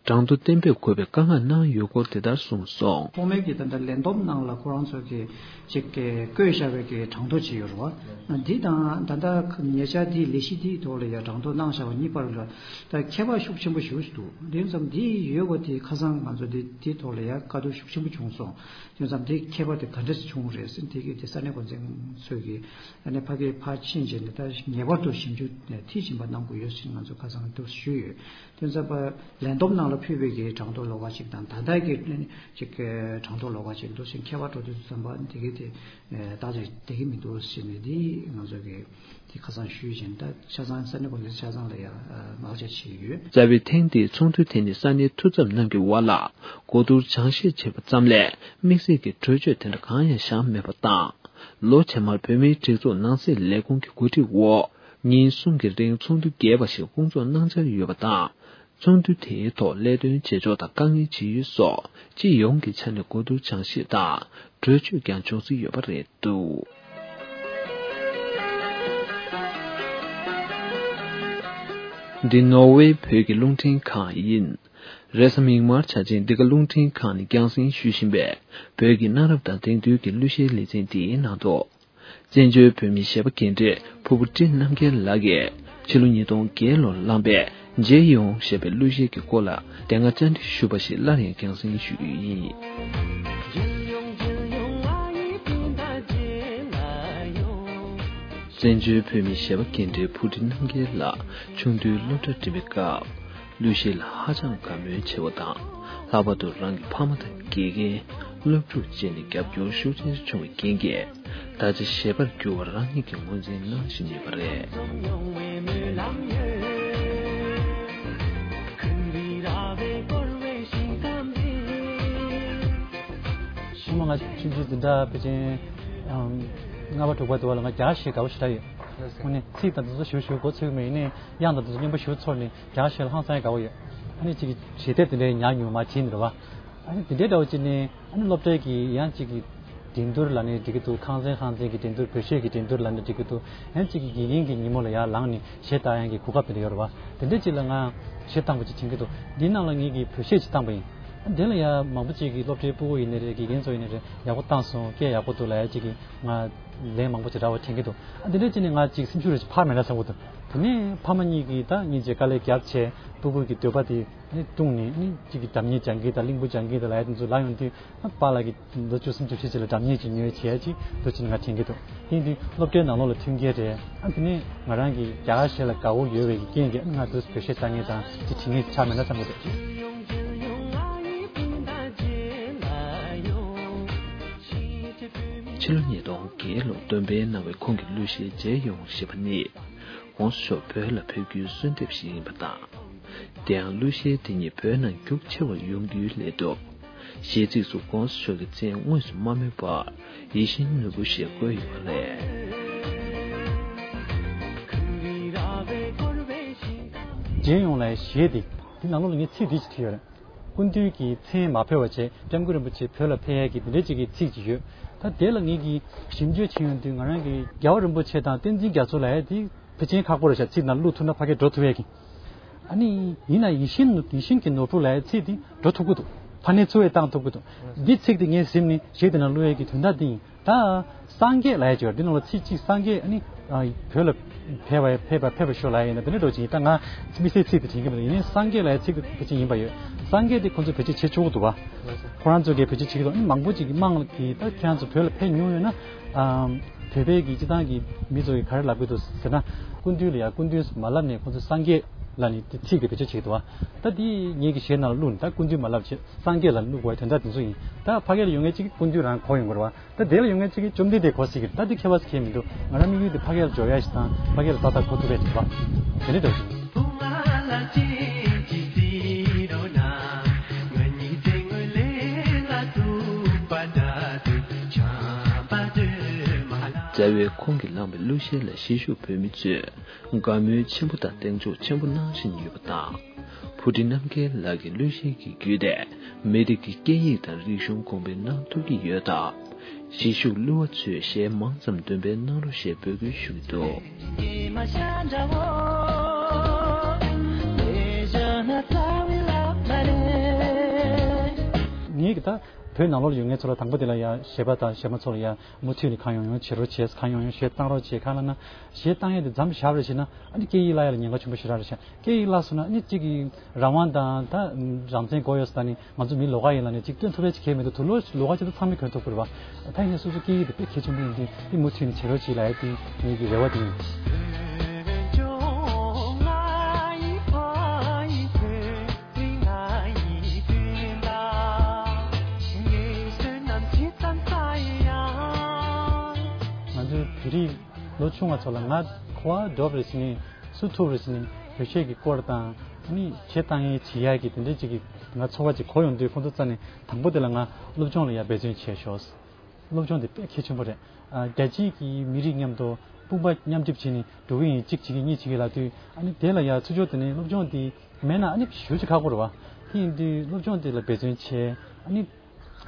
གྲངས་ཐོ་གཏན་འབེབས་དགོས་པའི་བཀའ་མངགས་གནང་ཡོད་སྐོར་དེ་ལྟར་གསུངས་སོང་། ཐོག་མའི་གི་ད་ལྟ་ལས་བསྡོམས་ནང་ལ་ཁོ་རང་ཚོ་གི་ཅིག་གི་བཀོད་བཞག་པའི་གི་གྲངས་ཐོ་ཅིག་ཡོད་རེད་བ། འདི་དང་ད་ལྟ་ཉེ་ཆར་འདི་ལས་གཞི་འདིའི་ཐོག་ལ་ཡ་གྲངས་ཐོ་གནང་བཞག་པ་གཉིས་བར་ལ་ད་ཁྱད་པར་ཤུགས་ཆེན་པོ་ཞེ་པོ་ཞིག་འདུག་དེ་ཙམ་འདི་ཡོད་པ་དེ་ཁ་སང་ང་ཚོ་འདི་འདིའི་ཐོག་ལ་ཡ་བཀའ་བསྡུར་ཤུགས་ཆེན་པོ་བྱུང་སོང་། དེ་ཙམ་དེ་ཁྱད་པར་དེ་ག་འདྲ་ཞིག་བྱུང་རེད་ཟེར་དེ་གི་དེ་ས་གནས་འགོ་འཛིན་ཚོས་གི་ཨ་ནི་ཕ་གི་ཕར་ཕྱིན་བྱས་ནས་ད་ངེས་པར་དུ་ཞིབ་འཇུག་མཐིལ་ཕྱིན་པ་གནང་དགོས་ཡོད་ཟེར་ང་ཚོ་ཁ་སང་དུ་ཞུས་ཡོད། དེ་ཚོ་པ་ལས་བསྡོམས་ནང་ལ་ཕུལ་བའི་གི་གྲངས་ཐོ་ལོགས་ཀ་ཅིག་དང་ད་ལྟ་གི་ཅིག་གྲངས་ཐོ་ལོགས་ཀ་ཅིག་འདུག་ཟེར་ཁྱད་པར་འགྲོ་དུས་ཙམ་པ་འདི་གི་དེ་ད་ལྟ་བསྡད་ཀྱི་མི་འདུག་ཟེར་ནས་འདི་ང་ཚོ་གི་དེ་ཁ་སང་ཞུས་བཞིན་ད་ཆ་ཚང་ས་གནས་འགོ་འཛིན་ཆ་ཚང་ལ་ཡང་མང་ཆེ་བྱས་ཡོད། རྩ་བའི་ཐེངས་འདིའི་ཚོགས་འདུ་དེ་ནི་ས་གནས་འཐུས་ཚབ་རྣམས་ཀྱི་དབར་ལ་གོ་བསྡུར་སྦྱང་བཤད་བྱས་པ་ཙམ་ལས་དམིགས་བསལ་གྱི་གྲོས་ཆོད་དེ་འདྲ་གང་ཡང་བཞག་མེད་པ་དང་། ལོ་རྗེས་མར་བོད་མིའི་སྒྲིག་འཛུགས་ནང་སྲིད་ལས་ཁུངས་ཀྱི་གོ་སྒྲིག་འོག་ཉིན་གསུམ་གྱི་རིང་ཚོགས་འདུ་རྒྱས་པ་ཞིག་སྐོང་ཚོགས་གནང་འཆར་ཡོད་པ་དང་། ཚོགས་འདུ་དེའི་ཐོག་ལས་དོན་བྱེད་ཕྱོགས་དང་དཀའ་ངལ་ཇི་ཡོད་སོགས་སྤྱི་ཡོངས་ཀྱི་ཆ་ནས་གོ་བསྡུར་སྦྱང་བཤད་དང་གྲོས་ཆོད་ཀྱང་འབྱུང་སྲིད་ཡོད་པ་རེད་འདུག་འདི་ནོར་ཝེ་བོད་ཀྱི་རླུང་འཕྲིན་ཁང་ཡིན། རེས་གཟའ་མིག་དམར་འཆར་ཅན་འདི་ག་རླུང་འཕྲིན་ཁང་ནས་རྒྱང་སྲིང་ཞུ་བཞིན་པའི་བོད་ཀྱི་གནའ་རབས་དང་དེང་དུས་ཀྱི་གླུ་གཞས་ལེ་ཚན་འདིའི་ནང་དུ། བཙན་བྱོལ་བོད་མིའི་གཞས་པ་རྒན་གྲས་ཕུར་བུ་བཀྲིས་རྣམ་རྒྱལ་ལགས་ཀྱིས་ཕྱི་ལོ་ཉིས་སྟོང་བརྒྱད་ལོར་བླངས་པའི་མཇལ་ཡོང་ཞེས་པའི་གླུ་གཞས་ཀྱི་སྐོར་ལ་དེ་སྔ་བཅར་འདྲི་ཞུས་པ་ཞིག་སླར་ཡང་རྒྱང་སྲིང་ཞུ་རྒྱུ་ཡིན། བཙན་བྱོལ་བོད་མིའི་གཞས་པ་རྒན་གྲས་ཕུར་བུ་བཀྲིས་རྣམ་རྒྱལ་ལགས་ཆུང་དུས་སློབ་གྲྭར་འགྲིམ་པའི་སྐབས། གླུ་གཞས་ལ་ཧ་ཅང་དགའ་མོས་ཆེ་བ་དང་། ལྷག་པར་དུ་རང་གི་ཕ་མ་དང་དགེ་རྒན། སློབ་ཕྲུག་བཅས་ནས་རྒྱབ་སྐྱོར་ཤུགས་ཆེན་བྱུང་བའི་རྐྱེན་གྱིས། ད་ཆ་གཞས་པར་འགྱུར་བ་རང་ཉིད་ཀྱིས་ངོས་འཛིན་གནང་བཞིན་ཡོད་པ་རེད། ཕྱི་མ་ང་ཆུང་ཆུང་འཛིན་གྲྭ་ཕལ་ཆེར་ལྔ་པ་དྲུག་པ་དུ་བ་ལ་ང་རྒྱ་གཞས་དགའ་པོ་ཞེ་དྲག་ཡོད། དངོས་གནས་ཚིག་དང་དེ་ཚོ་ཞིབ་ཞིབ་མགོ་ཚོད་མེད་ནས་དབྱངས་དང་དེ་ཚོ་སྙན་པོ་ཞིབ་ཚོར་ནས། རྒྱ་གཞས་ལ་ཧང་སང་དགའ་བོ་ཡོད། ཨ་ནི་གཅིག་གི་གཞས་དེབ་དེ་འདྲའི་ཉར་མྱོང་མ་བྱིན་འདྲ་བ། ཨ་ནི་དེ་འདྲའི་འདྲ་བོ་གཅིག་ནི། ཨ་ནི་སློབ་གྲྭའི་གི་ཡང་གཅིག་གི་འགྲན་བསྡུར་ལ་ནི་འགྲིག་གི་འདུག་ཁང་ཚན་ཁང་ཚན་གྱི་འགྲན་བསྡུར་བོད་གཞས་ཀྱི་འགྲན་བསྡུར་ལ་ནི་འགྲིག་གི་འདུག་ཡང་གཅིག་གི་དགེ་རྒན་གྱི་ཉིན་མོ་ལ་ཡར་ལངས་ནས་གཞས་བཏང་ཡག་གི་གོ་སྐབས་དེ་འདྲ་ཡོད་རེད་བ། དེ་འདྲའི་གཅིག་ལ་ང་གཞས་བཏང་པ་གཅིག་དྲན་གྱི་འདུག་འདིའི་ནང་ལ་ངེད་ཀྱིས་བོད་གཞས་གཅིག་བཏང་པ་ཡིན། ཨ་དེ་ལ་ཡང་མང་པོ་གཅིག་གིས་སློབ་གྲྭའི་སྤུ་གུ་ཡིན་ནའི་རེད། དགེ་རྒན་ཚོ་ཡིན་ནའི་རེད། ཡག་པོ་བཏང་སོང་། སྐད་ཡག་པོ་འདུག་ལབ་ཡག་གཅིག་གིས་ང་ལན་མང་པོ་ཅིག་རག་པ་དྲན་གྱི་འདུག་ཨ་དེ་འདྲ་བྱས་ནས་ང་ཅིག་སེམས་ཤུགས་རེ་ཅིག་འཕར་མེད་ན་བསམ་གྱི་འདུག་དེ་ནས་ཕ་མ་གཉིས་ཀྱིས་ད་སྙིང་རྗེ་དཀའ་ལས་རྒྱབ་བྱས་སྤུ་གུ་གི་འདོད་པ་དེ་ནི་བསྐྲུན་ནས་ནི་གཅིག་གི་སྒྲ་སྙན་སྦྱང་གི་དང་གླིང་བུ་སྦྱང་གི་དང་ལབ་ཡག་དེ་ཚོ་ལབ་ཡོང་དུས། ཨ་པཱ་ལགས་ཀྱིས་ལོ་བཅུ་གསུམ་བཅུ་བཞི་ཅིག་ལ་སྒྲ་སྙན་ཅིག་ཉོས་བྱས་ཅིག་འདུག་ཅེས་ང་དྲན་གྱི་འདུག་དེ་ཡིན་དུས་སློབ་གྲྭའི་ནང་ལོགས་ལ་མཐུན་རྐྱེན་རེད། ཨ་དེ་ནས་ང་རང་གི་རྒྱ་གར་གཞས་ལ་དགའ་བོ་ཡོད་པའི་རྐྱེན་གྱིས་ང་དུས་བོད་གཞས་བཏང་མཁན་དང་དེ་བྲིས་མཁན་ཆགས་མེད་ན་བསམ་གྱི་འདུག་ཕྱི་ལོ་ཉིས་སྟོང་བརྒྱད་ལོར་འདོན་སྤེལ་གནང་བའི་ཁོང་གི་གླུ་གཞས་མཇལ་ཡོང་ཞེས་པ་ནི། ༸གོང་ས་མཆོག་བོད་ལ་ཕེབས་རྒྱུའི་གསོལ་འདེབས་ཤིག་ཡིན་པ་དང་། དེ་ཡང་གླུ་གཞས་དེ་ཉིད་བོད་ནང་རྒྱུགས་ཆེ་བར་ཡོང་རྒྱུའི་སླད་དུ། གཞས་ཚིགས་སུ་༸གོང་ས་མཆོག་གི་མཚན་དངོས་སུ་མ་སྨོས་པར་ཡིད་བཞིན་ནོར་བུ་ཞེས་བཀོད་ཡོད་པ་རེད། མཇལ་ཡོང་ལབ་གཞས་དེ། དེ་ནང་ལོགས་ལ་ངས་ཚིག་འདི་ཅིག་བྲིས་ཡོད་རེད། སྐུ་མདུན་གྱི་མཚན་མ་ཕུལ་བ་བྱས། སྐྱབས་མགོན་རིན་པོ་ཆེ་བོད་ལ་ཕེབས་ཡས་ཀྱི་འདི་འདྲའི་ཅིག་གི་ཚིག་ཅིག་ཡོད། ད་དེ་ལ་ངེད་ཀྱིས་ཞིབ་འཇུག་བྱེད་ཡོང་དུས། ང་རང་གིས་རྒྱལ་བ་རིན་པོ་ཆེ་དང་བསྟན་འཛིན་རྒྱ་མཚོ་ལབ་ཡས་དེ་ཕལ་ཆེར་ཁག་པོ་རེད་ཤག་ཚིག་ནང་བླུགས་ཐུབ་ན་ཕ་གིར་འགྲོ་ཐུབ་ཡས་ཀྱི། ཨ་ནི་ཡིན་ན་ཡིད་བཞིན་ཡིད་བཞིན་གྱི་ནོར་བུ་ལབ་ཡས་ཚིག་དེ་འགྲོ་ཐུབ་ཀྱི་འདུག་ཕ་ནས་ཚུར་ཡང་བཏང་ཐུབ་ཀྱི་འདུག་འདི་ཚིག་དེ་ངས་གཟིམ་ནས་གཞས་དེ་ནང་བླུགས་ཡས་ཀྱི་དོན་དག་འདི་ཡིན། ད་སངས་རྒྱས་ལབ་ཡས་ཅིག་ཡོད་རེད། འདི་ནང་ལ་ཚིག་གཅིག་སངས་རྒྱས། ཨ་ནི་ཨ་བོད་ལ་ཕེབས་པ་ཕེབས་པ་ཕེབས་པ་ཤོག་ལབ་ཡས་ཡིན་ན་དེ་འདྲ་འགྲོ་ཅིག་ཡིན། ད་ང་དམིགས་བསལ་ཚིག་དེ་དྲན་གྱི་མི་འདུག་ཡིན་ནའི་སངས་རྒྱས་ལབ་ཡས་ཚིག་དེ་ཕལ་ཆེར་ཡིན་པ་ཡོད། སངས་རྒྱས་དེ་ཁོང་ཚོས་བེད་སྤྱོད་བྱེད་ཆོག་གི་འདུག་བ། ཁོ་རང་ཚོ་གིས་བེད་སྤྱོད་བྱེད་ཀྱི་འདུག་ཨ་ནི་མང་པོ་ཅིག་གིས་དམངས་ཀྱིས། ད་ཁྱེད་རང་ཚོ་བོད་ལ་ཕེབས་མྱོང་ཡོད་ན། ཨམ། བོད་པའི་གི་སྤྱི་བཏང་གི་མི་ཚོ་གིས་ག་རེ་ལབ་ཀྱི་འདུག་ཟེར་ན། སྐུ་མདུན་ལ་ཡ་སྐུ་མདུན་མ་ལབ་ནས་ཁོང་ཚོས་སངས་རྒྱས་ལབ་ནས་དེ་ཚིག་དེ་བེད་སྤྱོད་བྱེད་ཀྱི་འདུག་བ། ད་དེ་ངེད་ཀྱི་གཞས་ནང་ལ་བླུགས་ནས། ད་སྐུ་མདུན་མ་ལབ་བྱས་སངས་རྒྱས་ལབ་བླུགས་པ་དོན་དག་དེ་ཚོ་ཡིན། ད་ཕ་གི་ལ་ཡོང་མཁན་གཅིག་གིས་སྐུ་མདུན་རང་གོ་ཡོང་གི་རེད་བ། ད་དེ་ལ་ཡོང་མཁན་གཅིག་གིས་བཅོམ་ལྡན་འདས་གོ་སྲིད་ཀྱི་རེད། ད་དེ་ཁྱད་པར་ཅིག་གང་ཡང་མི་འདུག་ང་རང་དམིགས་ཡུལ་དེ་ཕ་གི་ལ་འབྱོར་ཡ་ཞིག་དང་ཕ་གི་ལ་ཏག་ཏག་གོ་ཐུབ་པ་ཞིག་བ། དེ་འདྲ་འདྲ་བོ་ཞིག་རྩ་བའི་ཁོང་གིས་བླངས་པའི་གླུ་གཞས་ལ་གཞིས་བཞུགས་བོད་མི་ཚོས་དགའ་མོས་ཆེན་པོ་དང་གདེང་འཇོག་ཆེན་པོ་གནང་བཞིན་ཡོད་པ་དང་། བྷུ་ཊི་རྣམ་རྒྱལ་ལགས་ཀྱི་གླུ་གཞས་ཀྱི་བརྒྱུད་དེ་མི་རིགས་ཀྱི་སྐད་ཡིག་དང་རིག་གཞུང་གོང་འཕེལ་གནང་ཐུབ་ཀྱི་ཡོད་སྟབས། གཞིས་བཞུགས་གླུ་བ་ཚོས་གཞས་མང་ཙམ་འདོན་སྤེལ་གནང་རོགས་ཞེས་འབོད་སྐུལ་ཞུ་གི་འདུག་ངེད་ཀྱིས་ད་བོད་ནང་ལོགས་ལ་ཡོད་མཁན་ཚོ་ལ། དང་པོ་དེ་ལ་ཡ་གཞས་པ་དང་གཞས་མ་ཚོ་ལ་ཡ་མུ་མཐུད་ནས་གང་ཡོང་ཡོང་བྱེད་རོགས་བྱེད། གང་ཡོང་ཡོང་གཞས་བཏང་རོགས་བྱེད། གང་ལབ་ན། གཞས་བཏང་ཡས་དེ་མཚམས་བཞག་པ་རེད་བྱས་ན། ཨ་ནི་སྐད་ཡིག་བརླག་ཡས་ལ་ཉེན་ཁ་ཆེན་པོ་ཞེ་དྲག་རེད་ཤག་སྐད་ཡིག་བརླག་སོང་ན་ཨ་ནི་གཅིག་གི་རང་དབང་དང་། ད་རང་བཙན་དགོས་ཡོད་ཟེར་ནས། ང་ཚོ་མི་ལོགས་ཀ་ཡིན་ལབ་ནས་ཅིག་སྟོན་ཐུབ་ཡ་ཅིག་གང་ཡང་མི་འདུག་དུ་ལོ་ལོགས་ཀ་ཅིག་ཏུ་ཚང་མས་གྱོན་ཐུབ་ཀྱི་རེད་བ། ད་ཡིན་ན་སོ་སོ་སྐད་ཡིག་དེ་དཔེ་གལ་ཆེན་པོ་ཡིན་དུས། དེ་མུ་མཐུད་ནས་བྱེད་རོགས་གྱིས་ལབ་ཡ་དེ་ངེད་ཀྱི་རེ་བ་དེ་ཡིན། ང་ཚོའི་བོད་རིགས་ལོ་ཆུང་བ་ཚོ་ལ། ང་གོ་བ་འགྲོ་བ་རེད་ཟེར་ནས། སུ་ཐུག་རེད་ཟེར་ནས་བོད་གཞས་ཀྱི་སྐོར་དང་། ཨ་ནི་གཞས་བཏང་ཡས་བྱེད་ཡས་ཀྱི་དེ་འདྲའི་ཅིག་གི་ང་ཚོར་བ་ཅིག་གོ་ཡོང་དུས། ཁོང་ཚོ་རྩ་ནས་དང་པོ་དེ་ལ་ང་སློབ་སྦྱོང་ལ་ཡ་འབད་བརྩོན་བྱས་ཤོག་སློབ་སྦྱོང་དེ་དཔེ་གལ་ཆེན་པོ་རེད། ཨ། རྒྱལ་སྤྱིའི་གི་མི་རིགས་མཉམ་དུ་དཔུང་པ་མཉམ་གཤིབ་བྱས་ནས་འགྲོ་གི་ཡིན། གཅིག་བྱེད་ཀྱི་གཉིས་བྱེད་ཀྱི་ལབ་དུས། ཨ་ནི་དེ་ལ་ཡ་ཚུར་ཕྱོགས་དེ་ནས་སློབ་སྦྱོང་དེ་མེད་ན་ཨ་ནི་ཞེ་པོ་ཅིག་ཁག་པོ་རེད་བ། དེ་ཡིན་དུས་སློབ་སྦྱོང་དེ་ལ་འབད་བརྩོན་བྱས། ཨ་ནི་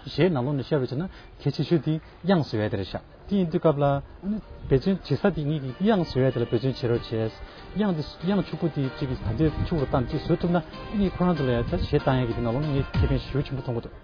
གཞས་ནང་ལོགས་ནས་བཤད་པ་བྱས་ན་གལ་ཆེ་ཤོས་དེ་དབྱངས་བཟོ་ཡ་དེ་རེད་ཤག་དེ་ཡིན་དུས་སྐབས་ལ། ཨ་ནི་འབད་བརྩོན་བྱེད་ས་དེ་ངེད་ཀྱིས་དབྱངས་བཟོ་ཡ་དེ་ལ་འབད་བརྩོན་བྱེད་རོགས་བྱས། དབྱངས་དེ། དབྱངས་ཕྱུག་པོ་དེ་གཅིག་གིས་ད་ལྟའི་ཕྱུག་རུ་བཏང་། གཅིག་བཟོ་ཐུབ་ན། ཨ་ནི་ཁོ་རང་ཚོ་ལ་ཡ་ད་གཞས་བཏང་ཡ་གི་དེ་ནང་ལོགས་ནས་ངས་ཁེ་ཕན་ཞེ་པོ་ཆེན་པོ་མཐོང་གི་འདུག་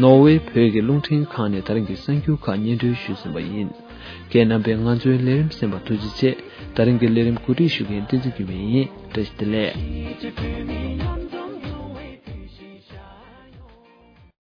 ནོར་ཝེ་བོད་ཀྱི་རླུང་འཕྲིན་ཁང་ནས་ད་རིང་གི་གསར་འགྱུར་ཁག་སྙན་སྒྲོན་ཞུས་ཟིན་པ་ཡིན། ཁྱེད་རྣམ་པས་ང་ཚོའི་ལས་རིམ་གསན་པར་ཐུགས་རྗེ་ཆེ། ད་རིང་གི་ལས་རིམ་གོ་སྒྲིག་ཞུ་མཁན་བསྟན་འཛིན་འགྱུར་མེད་ཡིན། བཀྲ་ཤིས་བདེ་ལེགས།